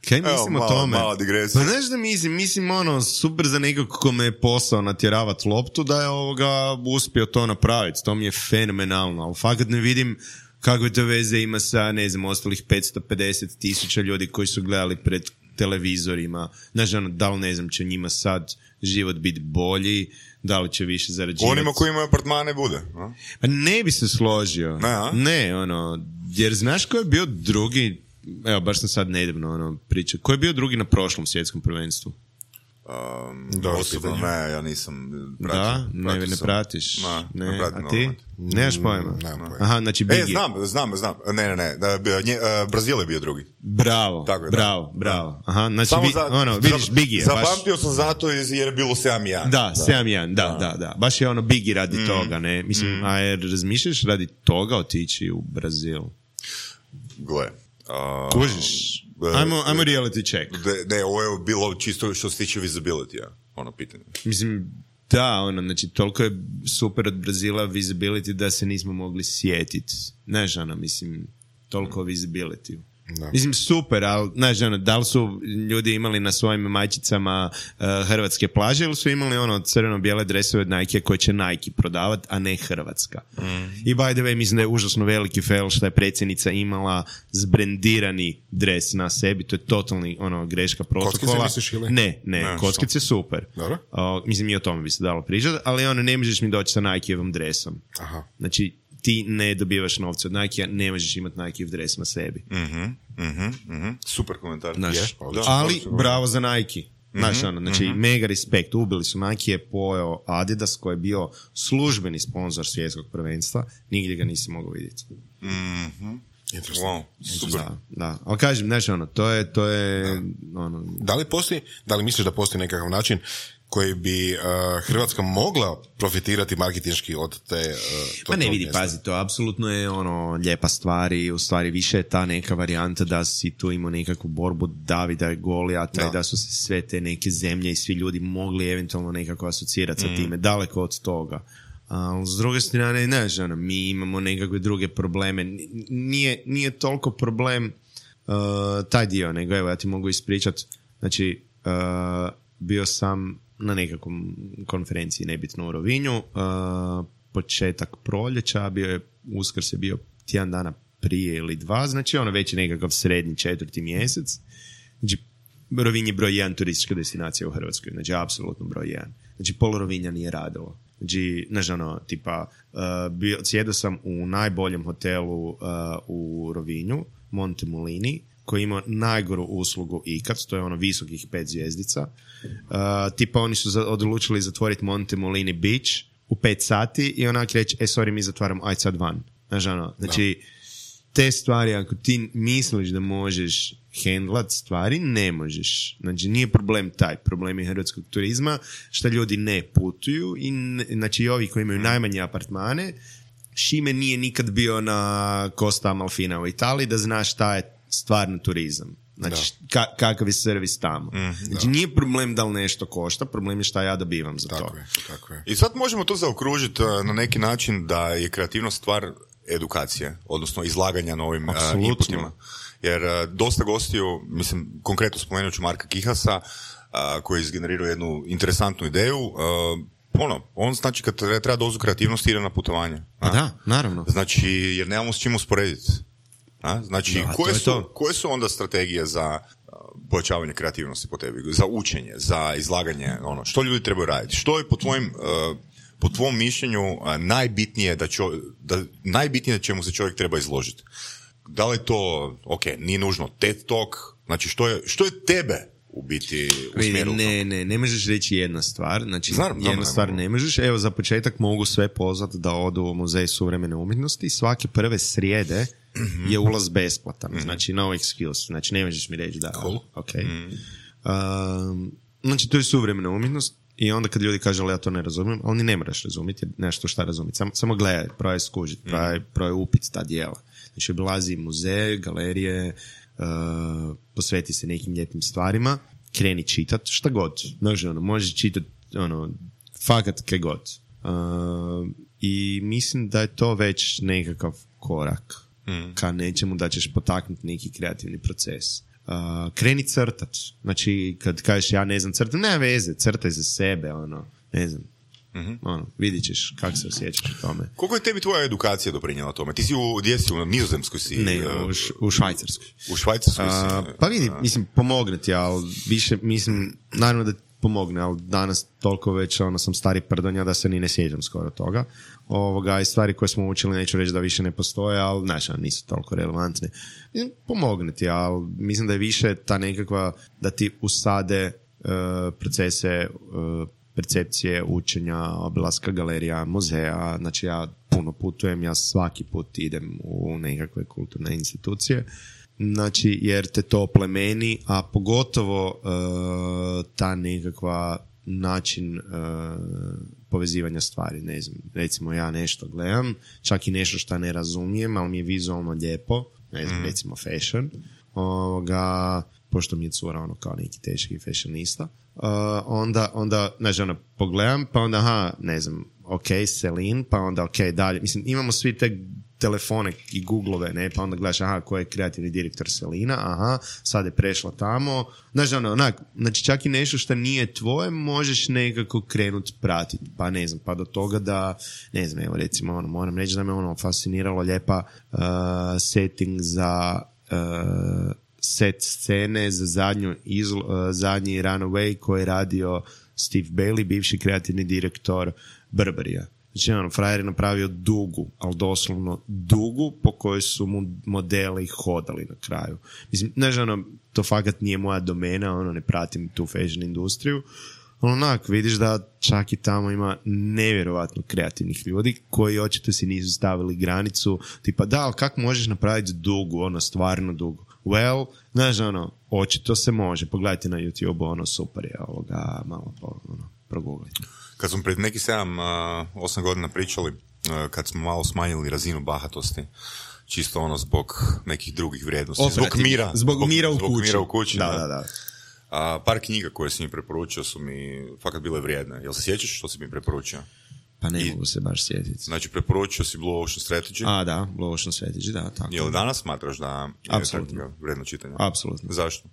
[SPEAKER 3] Kaj
[SPEAKER 2] Evo,
[SPEAKER 3] mislim o
[SPEAKER 2] mala-
[SPEAKER 3] tome?
[SPEAKER 2] mala digresija.
[SPEAKER 3] Pa znaš da mislim, mislim ono, super za nekog kome je posao natjeravat loptu, da je ovoga uspio to napraviti. To mi je fenomenalno, ali fakat ne vidim kakve to veze ima sa, ne znam, ostalih petsto pedeset tisuća ljudi koji su gledali pred televizorima. Znaš, ono, da li ne znam, će njima sad život biti bolji, da li će više zarađivati.
[SPEAKER 2] Onima koji imaju apartmane bude. A?
[SPEAKER 3] Pa ne bi se složio.
[SPEAKER 2] Ne, a?
[SPEAKER 3] Ne, ono, jer znaš ko je bio drugi, evo, baš sam sad nedavno ono, pričao, ko je bio drugi na prošlom svjetskom prvenstvu?
[SPEAKER 2] Um,
[SPEAKER 4] Dobro
[SPEAKER 2] osobno,
[SPEAKER 4] pitanje.
[SPEAKER 2] ne, ja nisam pratio.
[SPEAKER 3] Da? Ne,
[SPEAKER 2] pratio
[SPEAKER 3] ne
[SPEAKER 2] sam.
[SPEAKER 3] pratiš?
[SPEAKER 2] Ne,
[SPEAKER 3] Ne,
[SPEAKER 2] ne pratim
[SPEAKER 3] a ti?
[SPEAKER 2] nogomet.
[SPEAKER 3] Nemaš pojma?
[SPEAKER 4] nemam pojma.
[SPEAKER 3] Aha, znači
[SPEAKER 2] E,
[SPEAKER 3] Biggie.
[SPEAKER 2] znam, znam, znam. Ne, ne, ne. Da, bio- nje, uh, Brazil je bio drugi.
[SPEAKER 3] Bravo,
[SPEAKER 2] Tako je, da.
[SPEAKER 3] bravo, bravo. Aha, znači,
[SPEAKER 2] Samo
[SPEAKER 3] bi,
[SPEAKER 2] za,
[SPEAKER 3] ono, vidiš,
[SPEAKER 2] za-
[SPEAKER 3] Biggie je baš...
[SPEAKER 2] Zapamtio sam zato iz- jer je bilo sedam jedan.
[SPEAKER 3] Da, sedam jedan, da, da, da. Baš je ono Biggie radi
[SPEAKER 2] Mm.
[SPEAKER 3] toga, ne? Mislim, a jer razmišljaš radi toga otići u Brazil?
[SPEAKER 2] Gle. Uh,
[SPEAKER 3] Kužiš? Ajmo, ajmo reality check.
[SPEAKER 2] Ne, ne, ovo je bilo čisto što se tiče visibility-a, ono pitanje.
[SPEAKER 3] Mislim, da, ono, znači, toliko je super od Brazila visibility da se nismo mogli sjetiti. Znaš, ono, mislim, toliko visibility.
[SPEAKER 4] Da.
[SPEAKER 3] Mislim, super, ali, znaš, ono, da li su ljudi imali na svojim majčicama uh, hrvatske plaže ili su imali, ono, crveno-bijele dresove od Nike koje će Nike prodavat, a ne Hrvatska. Mm. I by the way, mislim da je užasno veliki fail što je predsjednica imala zbrendirani dres na sebi, to je totalni, ono, greška protokola.
[SPEAKER 4] Kockice misliš ili?
[SPEAKER 3] Ne, ne,
[SPEAKER 2] Ne,
[SPEAKER 3] kockice super.
[SPEAKER 4] Dobro.
[SPEAKER 3] O, mislim, i o tome bi se dalo pričati, ali ono, ne možeš mi doći sa Nikejevom dresom.
[SPEAKER 4] Aha.
[SPEAKER 3] Znači, ti ne dobivaš novce od Nike-a, ne možeš imati Nikejev dres na sebi.
[SPEAKER 2] Mhm, mhm, mhm. Super komentar.
[SPEAKER 3] Znaš,
[SPEAKER 2] Je, da,
[SPEAKER 3] ali
[SPEAKER 2] absolutno.
[SPEAKER 3] bravo za Nike. Znaš, ono, znači, mm-hmm. mega respekt, ubili su, Nike je pojeo Adidas koji je bio službeni sponsor svjetskog prvenstva, nigdje ga nisi mogao vidjeti.
[SPEAKER 2] Mm-hmm. Wow, super.
[SPEAKER 3] Da, da. Ali kažem, znači, ono, to je, to je, da. ono...
[SPEAKER 4] Da li postoji, da li misliš da postoji nekakav način koji bi uh, Hrvatska mogla profitirati marketinški od te... Uh,
[SPEAKER 3] pa ne vidi, mjesta. Pazi, to apsolutno je ono lijepa stvar i u stvari više je ta neka varijanta da si tu imao nekakvu borbu Davida i Golijata da. I da su se sve te neke zemlje i svi ljudi mogli eventualno nekako asocirati sa mm. time, daleko od toga. A s druge strane, ne žena, mi imamo nekakve druge probleme. Nije, nije toliko problem uh, taj dio, nego evo ja ti mogu ispričati. Znači, uh, bio sam na nekakvom konferenciji, nebitno u Rovinju, uh, početak proljeća, bio je, Uskrs je bio tjedan dana prije ili dva, znači ono već je nekakav srednji četvrti mjesec. Znači, Rovinj je broj jedan turistička destinacija u Hrvatskoj, znači apsolutno broj jedan. Znači, pol Rovinja nije radilo. Znači, znaš, ono, tipa, uh, bio, sjedio sam u najboljem hotelu uh, u Rovinju, Montemolini, koji ima najgoru uslugu ikad, to je ono visokih pet zvjezdica. Uh, tipa, oni su za, odlučili zatvoriti Montemolini Beach u pet sati i onak reći, e, sorry, mi zatvaramo, aj sad van. Znaš, ono, znači, te stvari, ako ti misliš da možeš handlat stvari, ne možeš. Znači, nije problem taj. Problem je hrvatskog turizma, što ljudi ne putuju i, znači, i ovi koji imaju najmanje apartmane, Šime nije nikad bio na Costa Amalfina u Italiji da znaš šta je stvarno turizam. Znači, ka, kakav je servis tamo. Mm, znači, nije problem da li nešto košta, problem je šta ja dobivam za
[SPEAKER 4] tako
[SPEAKER 3] to.
[SPEAKER 4] Je, tako je.
[SPEAKER 2] I sad možemo to zaokružiti na neki način da je kreativnost stvar edukacije, odnosno izlaganja novim uh, inputima. Jer uh, dosta gostiju, mislim, konkretno spomenut ću Marka Kihasa, uh, koji je izgenerirao jednu interesantnu ideju. Uh, ono, on znači kad treba dozu kreativnosti ide na putovanje.
[SPEAKER 3] A da, naravno.
[SPEAKER 2] Znači, jer nemamo s čim usporediti. A? Znači, da, koje, su, koje su onda strategije za uh, pojačavanje kreativnosti po tebi? Za učenje, za izlaganje, ono, što ljudi trebaju raditi? Što je po tvojim... Uh, po tvom mišljenju najbitnije da, čo, da najbitnije čemu se čovjek treba izložiti? Da li je to, ok, nije nužno TED Talk, znači što je, što je tebe u biti usmjerilo?
[SPEAKER 3] Ne, ne, ne možeš reći jedna stvar, znači
[SPEAKER 2] Znam,
[SPEAKER 3] jedna
[SPEAKER 2] dobro,
[SPEAKER 3] stvar ne možeš. Evo, za početak mogu sve pozvati da odu u Muzej suvremene umjetnosti. Svake prve srijede mm-hmm. je ulaz besplatan, mm-hmm. znači no excuse, znači ne možeš mi reći da.
[SPEAKER 2] Cool.
[SPEAKER 3] Ok. Mm-hmm. Um, znači to je suvremena umjetnost. I onda kad ljudi kažu, ali ja to ne razumijem, ali ni ne moraš razumjeti, nešto šta razumjeti. Samo, samo gledaj, probaj skužiti, probaj, probaj upiti ta dijela. Znači, obilazi muzeje, galerije, uh, posveti se nekim lijepim stvarima, kreni čitat, šta god. Znači, ono, možeš čitati, ono, fakat kaj god. Uh, I mislim da je to već nekakav korak mm. ka nečemu da ćeš potaknuti neki kreativni proces. Uh, kreni crtat. Znači, kad kažeš ja ne znam crtat, ne veze, crtaj za sebe, ono, ne znam. Mm-hmm. Ono, vidit ćeš kako se osjećaš u tome.
[SPEAKER 2] Koliko je tebi tvoja edukacija doprinjela tome? Ti si u, gdje si, u Nizozemskoj si?
[SPEAKER 3] Ne, u, š, u Švajcarskoj.
[SPEAKER 2] U Švajcarskoj si?
[SPEAKER 3] Uh, pa vidi, mislim, pomogne ti, ali više, mislim, naravno da pomogne, ali danas toliko već ono, sam stari prdonja da se ni ne sjećam skoro toga. Ovoga, i stvari koje smo učili, neću reći da više ne postoje, ali znaš, nisu toliko relevantne. Mislim, pomogne ti, ali mislim da je više ta nekakva da ti usade uh, procese uh, percepcije, učenja, obilaska galerija, muzeja. Znači ja puno putujem, ja svaki put idem u nekakve kulturne institucije. Znači, jer te to plemeni, a pogotovo uh, ta nekakva način uh, povezivanja stvari, ne znam, recimo ja nešto gledam, čak i nešto što ne razumijem, ali mi je vizualno lijepo, ne znam, mm. recimo fashion, ovoga, pošto mi je cura ono kao neki teški fashionista, uh, onda, onda, znači ono, pogledam, pa onda, aha, ne znam, ok, Celine, pa onda ok, dalje, mislim, imamo svi te telefone i Googlove, ne, pa onda gledaš, aha, ko je kreativni direktor Selina, aha, sad je prešla tamo, znači, ono, onak, znači čak i nešto što nije tvoje, možeš nekako krenuti pratiti, pa ne znam, pa do toga da, ne znam, evo recimo, ono, moram reći da me ono fasciniralo lijepa uh, setting za uh, set scene za zadnju izl, uh, zadnji Runaway koji je radio Steve Bailey, bivši kreativni direktor Burberrya. Znači, ono, frajer je napravio dugu, ali doslovno dugu po kojoj su mu modeli hodali na kraju. Mislim, znaš, ono, to fakat nije moja domena, ono, ne pratim tu fashion industriju, ali onak, vidiš da čak i tamo ima nevjerovatno kreativnih ljudi koji očito si nisu stavili granicu, tipa, da, ali kako možeš napraviti dugu, ono, stvarno dugu? Well, znaš, ono, očito se može, pogledajte na YouTube, ono, super je ovoga, malo po, ono, progooglajte.
[SPEAKER 2] Kad smo pred nekih sedam, osam godina pričali, uh, kad smo malo smanjili razinu bahatosti, čisto ono zbog nekih drugih vrijednosti,
[SPEAKER 3] Operativno.
[SPEAKER 2] zbog mira,
[SPEAKER 3] Zbog, zbog mira u
[SPEAKER 2] zbog
[SPEAKER 3] kući.
[SPEAKER 2] Mira u kući
[SPEAKER 3] da,
[SPEAKER 2] da.
[SPEAKER 3] da, da.
[SPEAKER 2] A, par knjiga koje si mi preporučio su mi fakat bile vrijedne. Jel se sjećaš što si mi preporučio?
[SPEAKER 3] Pa ne
[SPEAKER 2] I,
[SPEAKER 3] mogu se baš sjetiti.
[SPEAKER 2] Znači, preporučio si Blue Ocean Strategy.
[SPEAKER 3] A, da, Blue Ocean Strategy, da, tako.
[SPEAKER 2] Je li danas smatraš da je
[SPEAKER 3] Apsolutno.
[SPEAKER 2] ta knjiga vrijedno čitanja?
[SPEAKER 3] Apsolutno.
[SPEAKER 2] Zašto?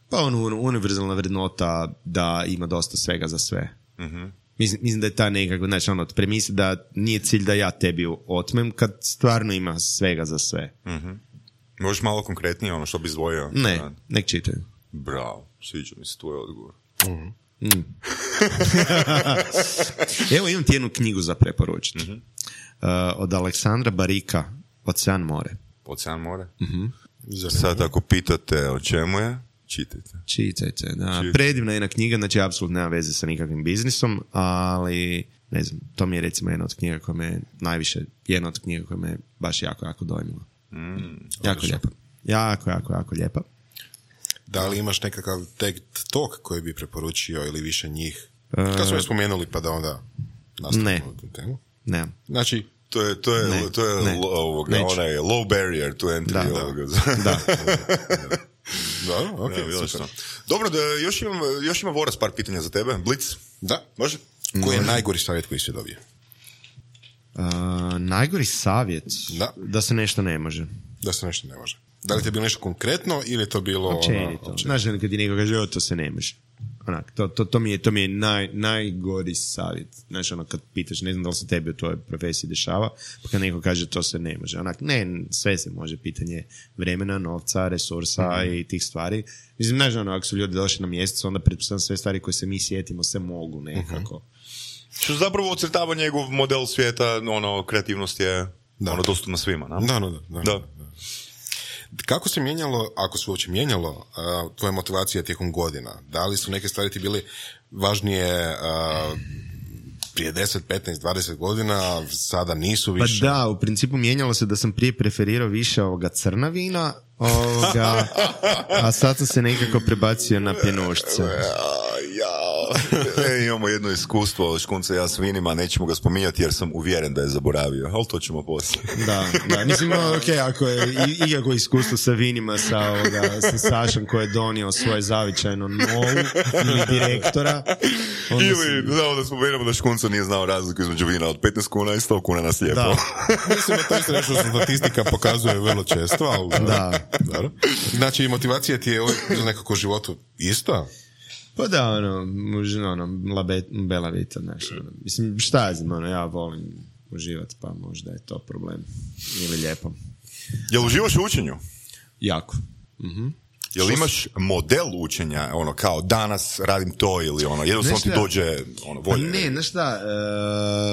[SPEAKER 3] Pa ono, univerzalna vrednota da ima dosta svega za sve.
[SPEAKER 2] Uh-huh.
[SPEAKER 3] Mislim, mislim da je ta nekako, znači ono, premisa da nije cilj da ja tebi otmem kad stvarno ima svega za sve.
[SPEAKER 2] Uh-huh. Možeš malo konkretnije, ono što bi izdvojio?
[SPEAKER 3] Ne,
[SPEAKER 2] Da.
[SPEAKER 3] nek čitaju.
[SPEAKER 2] Bravo, sviđa mi se tvoj odgovor.
[SPEAKER 3] Mm. Mm. Evo imam ti jednu knjigu za preporučiti. Mm-hmm. Uh, od Aleksandra Barika, Ocean more.
[SPEAKER 2] Ocean more?
[SPEAKER 3] Mm-hmm.
[SPEAKER 2] Sad ako pitate o čemu je, čitajte.
[SPEAKER 3] Čitajte, da.
[SPEAKER 2] Čitajte.
[SPEAKER 3] Predivna jedna knjiga, znači apsolutno nema veze sa nikakvim biznisom, ali ne znam, to mi je recimo jedna od knjiga koja me najviše, jedna od knjiga koja me baš jako, jako dojmila.
[SPEAKER 2] Mm,
[SPEAKER 3] jako lijepa. Jako, jako, jako lijepa.
[SPEAKER 4] Da li imaš nekakav TED Talk koji bi preporučio ili više njih? Kad smo je spomenuli pa da onda nastavimo
[SPEAKER 3] Ne.
[SPEAKER 4] tu temu.
[SPEAKER 3] Ne.
[SPEAKER 4] Znači,
[SPEAKER 2] To je, to je,
[SPEAKER 3] Ne,
[SPEAKER 2] to je
[SPEAKER 3] ne,
[SPEAKER 2] lo- ovoga,
[SPEAKER 3] neću.
[SPEAKER 2] onaj low barrier to entry.
[SPEAKER 3] Da, da.
[SPEAKER 2] ovoga.
[SPEAKER 3] Da.
[SPEAKER 4] da, ok,
[SPEAKER 2] Ja, vidjeli
[SPEAKER 4] super.
[SPEAKER 2] smo. Dobro, da još imam, još ima Voras par pitanja za tebe. Blitz,
[SPEAKER 4] Da.
[SPEAKER 2] može?
[SPEAKER 4] Koji je najgori savjet koji si dobio?
[SPEAKER 3] Uh, najgori savjet
[SPEAKER 4] Da.
[SPEAKER 3] da se nešto ne može.
[SPEAKER 4] Da se nešto ne može. Da li ti je bilo nešto konkretno ili je to bilo... ono,
[SPEAKER 3] Općenito.
[SPEAKER 4] općenito?
[SPEAKER 3] Znaš, ono, kad ti neko kaže, o, to se ne može. Onak, to, to, to mi je, to mi je naj, najgori savjet. Znaš, ono, kad pitaš, ne znam da li se tebi u tvojoj profesiji dešava, pa kad neko kaže, to se ne može. Onak, ne, sve se može. Pitanje vremena, novca, resursa mm-hmm. i tih stvari. Mislim, znaš, ono, ako su ljudi došli na mjesec, onda pretpostavljam sve stvari koje se mi sjetimo se mogu nekako. Mm-hmm.
[SPEAKER 2] Što zapravo ocrtava njegov model svijeta, ono, kreativnost je
[SPEAKER 4] Da.
[SPEAKER 2] ono, dostupna svima, na?
[SPEAKER 4] Da, da, da. da.
[SPEAKER 2] Da.
[SPEAKER 4] Kako se mijenjalo, ako se uopće mijenjalo, uh, tvoja motivacija tijekom godina? Da li su neke stvari ti bile važnije uh, prije deset, petnaest, dvadeset godina, sada nisu
[SPEAKER 3] Pa
[SPEAKER 4] više?
[SPEAKER 3] da, u principu mijenjalo se da sam prije preferirao više ovoga crna vina, ovoga, a sad sam se nekako prebacio na pjenušce.
[SPEAKER 2] Ja, e, imamo jedno iskustvo škunca ja s vinima, nećemo ga spominjati jer sam uvjeren da je zaboravio, ali to ćemo poslije.
[SPEAKER 3] Da, da, mislim, ok, ako je i- ikako iskustvo sa vinima sa, ovoga, sa Sašom koji je donio svoje zavičajno novu ili direktora, onda
[SPEAKER 2] Ili,
[SPEAKER 3] sam-
[SPEAKER 2] znamo da spomenemo da škunca nije znao razliku između vina od petnaest kuna i sto kuna na slijepo.
[SPEAKER 3] Da.
[SPEAKER 4] Mislim da to isto nešto što statistika pokazuje vrlo često, ali...
[SPEAKER 3] Da.
[SPEAKER 4] Dobro. Znači, motivacija ti je uvijek za nekako životu ista?
[SPEAKER 3] Pa da, ono, možda, ono, labe, bela vita, znaš, ono, mislim, šta ja znam, ono, ja volim uživati, pa možda je to problem, ili lijepo.
[SPEAKER 2] Jel uživaš u učenju?
[SPEAKER 3] Jako. Mhm.
[SPEAKER 2] Jel imaš model učenja, ono, kao danas radim to ili ono, jednostavno
[SPEAKER 3] Znaš
[SPEAKER 2] ti
[SPEAKER 3] šta?
[SPEAKER 2] dođe ono,
[SPEAKER 3] Pa
[SPEAKER 2] volje?
[SPEAKER 3] ne, znaš šta,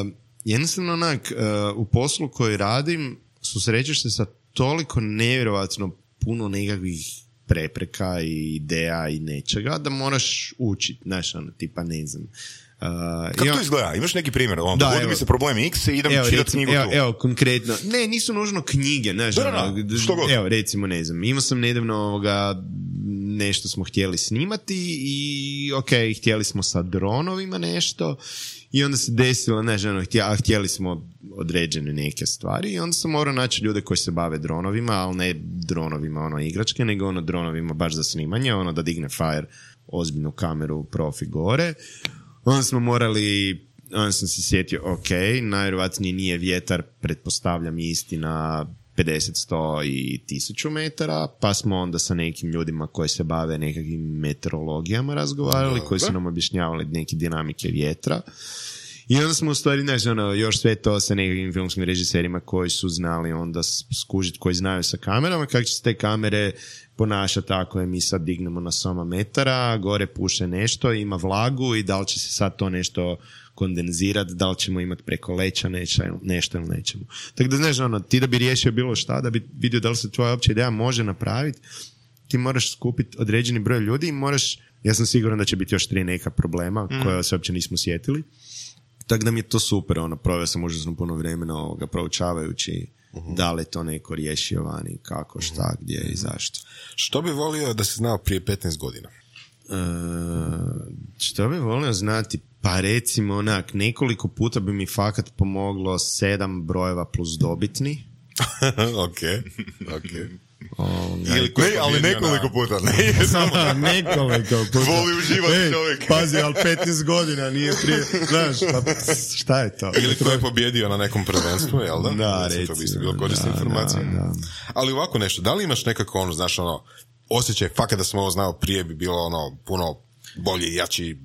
[SPEAKER 3] uh, jednostavno onak, uh, u poslu koji radim susrećeš se sa toliko nevjerovatno puno nekakvih prepreka i ideja i nečega da moraš učiti, znaš, ono, tipa ne znam. Uh,
[SPEAKER 2] Kako
[SPEAKER 3] imam-
[SPEAKER 2] to izgleda? Imaš neki primjer? Ono,
[SPEAKER 3] Da,
[SPEAKER 2] dogodi
[SPEAKER 3] evo.
[SPEAKER 2] mi se problem X i idem
[SPEAKER 3] Evo,
[SPEAKER 2] čitati
[SPEAKER 3] recimo,
[SPEAKER 2] knjigu
[SPEAKER 3] evo,
[SPEAKER 2] tu.
[SPEAKER 3] evo, konkretno. Ne, nisu nužno knjige, znaš,
[SPEAKER 2] Da, da, da,
[SPEAKER 3] ono, d-
[SPEAKER 2] što god.
[SPEAKER 3] evo, recimo, ne znam, imao sam nedavno ovoga, nešto smo htjeli snimati i ok, htjeli smo sa dronovima nešto i onda se desilo, znaš, ono, htjeli, a htjeli smo određene neke stvari i onda sam morao naći ljude koji se bave dronovima, ali ne dronovima, ono, igračke, nego ono, dronovima baš za snimanje, ono, da digne Fire ozbiljnu kameru profi gore. Onda smo morali, onda sam se sjetio, ok, najvjerojatnije nije vjetar, pretpostavljam isti na pedeset, sto i tisuću metara, pa smo onda sa nekim ljudima koji se bave nekakvim meteorologijama razgovarali, koji su nam objašnjavali neke dinamike vjetra. I onda smo u stvari, znaš, ono, još sve to sa nekakvim filmskim režiserima koji su znali onda skužiti, koji znaju sa kamerama, kako će se te kamere ponašati ako je mi sad dignemo na soma metara, gore puše nešto, ima vlagu i da li će se sad to nešto kondenzirati, da li ćemo imati preko leća nešto, nešto ili nećemo. Tako da, znaš, ono, ti da bi riješio bilo šta, da bi vidio da li se tvoja opća ideja može napraviti, ti moraš skupiti određeni broj ljudi i moraš, ja sam siguran da će biti još tri neka problema mm. koja se uopće nismo sjetili. Tako da mi je to super, ono, proveo sam užasno puno vremena ovoga proučavajući uh-huh. da li je to neko riješio vani, kako, šta, uh-huh. gdje i zašto.
[SPEAKER 4] Što bi volio da si znao prije petnaest godina?
[SPEAKER 3] Uh, što bi volio znati? Pa recimo onak, nekoliko puta bi mi fakat pomoglo sedam brojeva plus dobitni.
[SPEAKER 4] ok, ok.
[SPEAKER 2] Oh, Ili ne, ali nekoliko puta. Ne,
[SPEAKER 3] samo nekoliko puta.
[SPEAKER 2] Voli uživati Ej, čovjek.
[SPEAKER 3] Pazi, ali petnaest godina nije prije. Znaš, pa šta je to?
[SPEAKER 4] Ili ko je pobjedio na nekom prvenstvu, jel da?
[SPEAKER 3] Da, recimo.
[SPEAKER 4] To bi isto bilo korisna informacija. Da, da. Ali ovako nešto, da li imaš nekako ono, znaš, ono, osjećaj, fakat da sam ovo znao prije bi bilo ono, puno bolje, jači?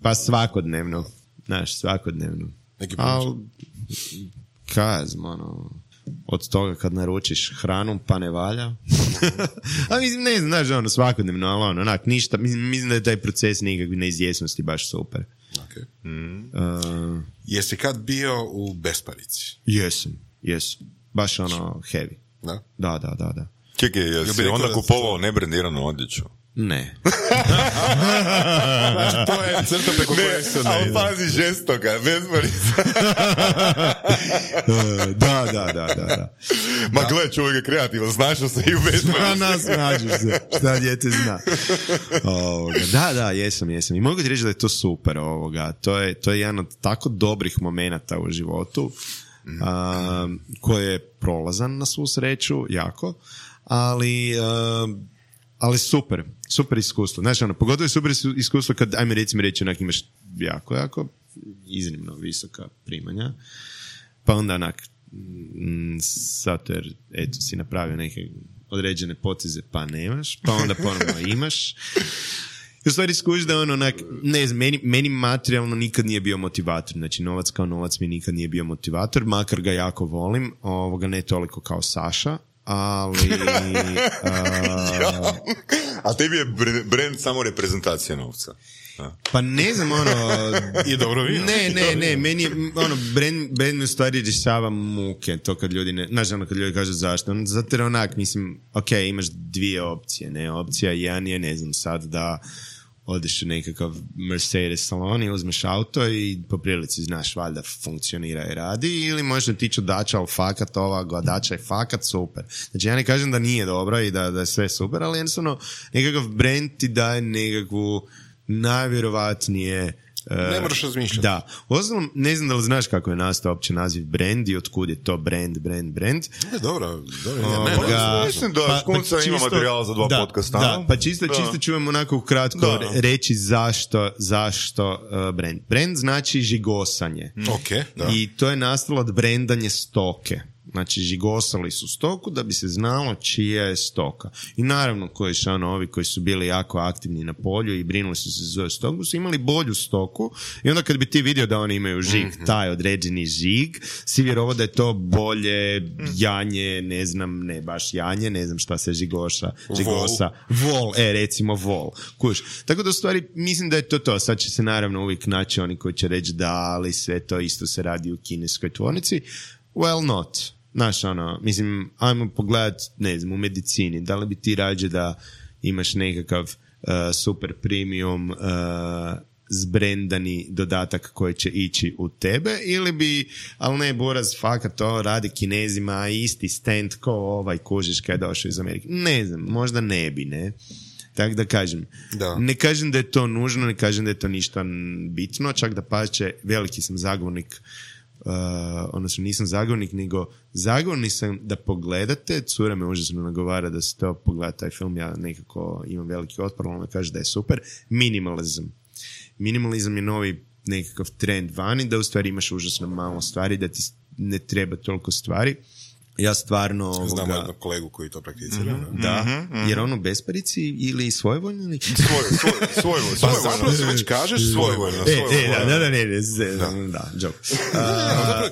[SPEAKER 3] Pa svakodnevno. Znaš, svakodnevno.
[SPEAKER 4] Neki pomoć?
[SPEAKER 3] Kaj znam, ono... od toga kad naručiš hranu pa ne valja. A mislim, ne znam, znaš, ono, svakodnevno, ali ono, onak, ništa, mislim, mislim da je taj proces nekakve neizvjesnosti baš super.
[SPEAKER 4] Okay.
[SPEAKER 3] Mm. Uh,
[SPEAKER 4] Jesi kad bio u besparici?
[SPEAKER 3] Jesam, jesam. Baš ono, heavy.
[SPEAKER 4] Da?
[SPEAKER 3] Da, da, da, da.
[SPEAKER 2] Čekaj, jesi onda kupovao nebrendiranu odjeću?
[SPEAKER 3] Ne.
[SPEAKER 4] Znači, to je crta preko koje se ne...
[SPEAKER 2] Ali pazi žestoga, bezbarica.
[SPEAKER 3] da, da, da, da, da.
[SPEAKER 2] Ma gle, čovjek je kreativan, znašao se i u bezbarici.
[SPEAKER 3] Nas nađeš se, šta djete zna. Ovoga. Da, da, jesam, jesam. I mogu ti reći da je to super. Ovoga. To, je, to je jedan od tako dobrih momenata u životu, a, koji je prolazan na svu sreću, jako, ali... A, ali super, super iskustvo. Znaš, ono, pogotovo je super iskustvo kad, ajme recimo reći, onak imaš jako, jako iznimno visoka primanja, pa onda onak, m, zato jer, eto, si napravio neke određene poteze, pa nemaš, pa onda ponovno imaš. I u stvari skužiš da ono, onak, ne znam, meni, meni materijalno nikad nije bio motivator. Znači, novac kao novac mi nikad nije bio motivator, makar ga jako volim, ovoga ne toliko kao Saša, ali...
[SPEAKER 2] a... A tebi je brand samo reprezentacija novca? A.
[SPEAKER 3] Pa ne znam, ono...
[SPEAKER 4] I dobro vino.
[SPEAKER 3] Ne, ne, ne, meni je, ono, brand, brand mi u stvari rješava muke, to kad ljudi ne... Znaš, ono, kad ljudi kažu zašto. Zato jer onak, mislim, ok, imaš dvije opcije, ne, opcija jedan je, ne znam, sad da odeš u nekakav Mercedes salon i uzmeš auto i po prilici znaš valjda funkcionira i radi, ili možeš otići u dača, ali fakat ova dača je fakat super. Znači ja ne kažem da nije dobro i da, da je sve super, ali jednostavno nekakav brand ti daje nekakvu najvjerovatnije
[SPEAKER 4] ne moraš razmišljati.
[SPEAKER 3] Da. Uostalom, ne znam da li znaš kako je nastao opće naziv brand i otkud je to brand, brand, brand.
[SPEAKER 4] Ne, dobro. dobro
[SPEAKER 2] o, ne, ga, mislim da pa, škunca pa ima materijal za dva
[SPEAKER 3] da,
[SPEAKER 2] podcasta.
[SPEAKER 3] Da, pa čisto, da. čisto ću vam onako kratko da. reći zašto, zašto uh, brand. Brand znači žigosanje.
[SPEAKER 4] Mm. Okay, da.
[SPEAKER 3] I to je nastalo od brandanje stoke. Znači, žigosali su stoku da bi se znalo čija je stoka. I naravno, koji su ono, ovi koji su bili jako aktivni na polju i brinuli su se za stoku, su imali bolju stoku i onda kad bi ti vidio da oni imaju žig, mm-hmm. taj određeni žig, si vjerovao da je to bolje janje, ne znam, ne baš janje, ne znam šta se žigoša, žigosa. Vol. vol, e, recimo vol. Kuš. Tako da u stvari, mislim da je to to. Sad će se naravno uvijek naći oni koji će reći da, ali sve to isto se radi u kineskoj tvornici. Well, not. Znaš, ono, mislim, ajmo pogledat, ne znam, u medicini, da li bi ti rađe da imaš nekakav uh, super premium uh, zbrendani dodatak koji će ići u tebe, ili bi, ali ne, Boraz, fakat to radi Kinezima, isti stand ko ovaj kužiš kad je došao iz Amerike. Ne znam, možda ne bi, ne? Tako da kažem,
[SPEAKER 4] da.
[SPEAKER 3] Ne kažem da je to nužno, ne kažem da je to ništa bitno, čak da pače, veliki sam zagovornik. Uh, odnosno nisam zagovornik, nego zagovornik sam da pogledate, cura me užasno nagovara da se to pogleda taj film, ja nekako imam veliki otpor, ona kaže da je super. Minimalizam. Minimalizam je novi nekakav trend vani, da u stvari imaš užasno malo stvari, da ti ne treba toliko stvari. Ja stvarno...
[SPEAKER 4] Znam
[SPEAKER 3] ovoga...
[SPEAKER 4] jednog kolegu koji to prakticira.
[SPEAKER 3] Mm-hmm, da, mm-hmm. Jer on u besparici ili svojvoljno ili...
[SPEAKER 2] Svoj, svoj, svojvoljno.
[SPEAKER 4] Pa zapravo se već kažeš svojvoljno.
[SPEAKER 3] E, e, da, da, da, ne, ne, da, da, joke. Uh,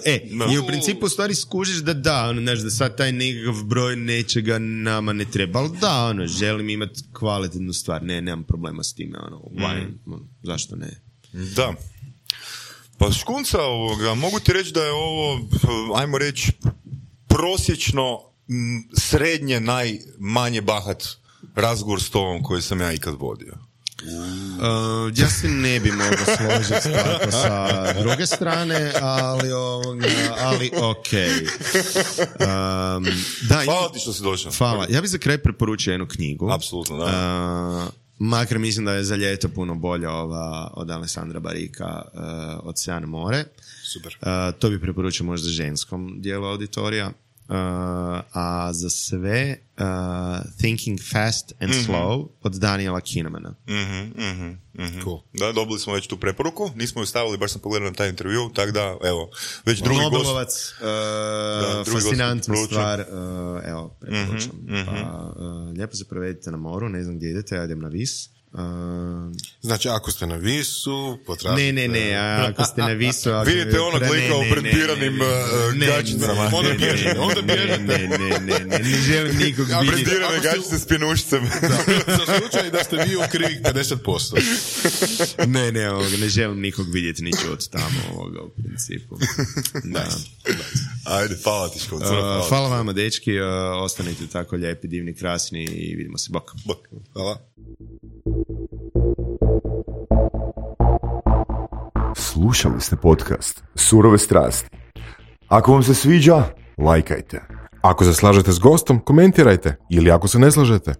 [SPEAKER 3] e, no. I u principu u stvari skužiš da da, ono, znaš, da sad taj nekakav broj nečega nama ne treba, ali da, ono, želim imati kvalitetnu stvar, ne, nemam problema s time, ono, why, mm. ono, zašto ne?
[SPEAKER 2] Da. Pa škunca ovoga, mogu ti reći da je ovo, ajmo reći, prosječno m, srednje najmanje bahat razgovor s tobom koji sam ja ikad vodio.
[SPEAKER 3] Uh, ja se ne bi mogao složiti tako sa druge strane, ali ovoga, ali okej. Okay. Um, da,
[SPEAKER 2] hvala ti što si došao.
[SPEAKER 3] Hvala. Ja bih za kraj preporučio jednu knjigu.
[SPEAKER 2] Apsolutno, da.
[SPEAKER 3] Uh, makar mislim da je za ljeto puno bolja ova od Alessandra Barika, uh, Ocean more.
[SPEAKER 4] Super.
[SPEAKER 3] Uh, to bi preporučio možda ženskom dijelu auditorija. Uh, a za sve uh, Thinking Fast and mm-hmm. Slow od Daniela Kahnemana.
[SPEAKER 2] Mm-hmm, mm-hmm, mm-hmm.
[SPEAKER 4] Cool.
[SPEAKER 2] Da, dobili smo već tu preporuku, nismo ju stavili, baš sam pogledao na taj intervju, tako da, evo, već drugi gost.
[SPEAKER 3] Nobelovac, uh, da, fascinantna stvar, uh, evo, preporučam. Mm-hmm, pa, uh, lijepo se provedite na moru, ne znam gdje idete, ja idem na Vis. Uh,
[SPEAKER 4] znači, ako ste na Visu, potražite...
[SPEAKER 3] Ne, ne, ne, ako ste na Visu... Ako
[SPEAKER 2] vidite onog lika u brendiranim gačicama.
[SPEAKER 4] Onda bježite, onda bježite.
[SPEAKER 3] Ne, ne, ne, ne, ne želim nikog vidjeti.
[SPEAKER 2] Brendirane gačice s pjenušcem.
[SPEAKER 4] Za slučaj da ste vi u krivih pedeset posto.
[SPEAKER 3] Ne, ne, ovoga, ne želim nikog vidjeti ni čuti tamo ovoga u principu. Da.
[SPEAKER 2] Ajde, hvala ti škod.
[SPEAKER 3] Uh, hvala vama, dečki, uh, ostanite tako lijepi, divni, krasni i vidimo se. Bok.
[SPEAKER 2] Bok. Hvala.
[SPEAKER 5] Slušali ste podcast Surove strasti. Ako vam se sviđa, lajkajte.
[SPEAKER 4] Ako se slažete s gostom, komentirajte. Ili ako se ne slažete.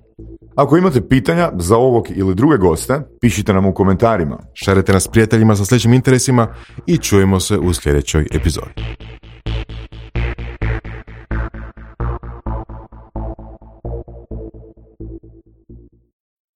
[SPEAKER 5] Ako imate pitanja za ovog ili druge goste, pišite nam u komentarima.
[SPEAKER 4] Šarite nas prijateljima sa sličnim interesima i čujemo se u sljedećoj epizodi.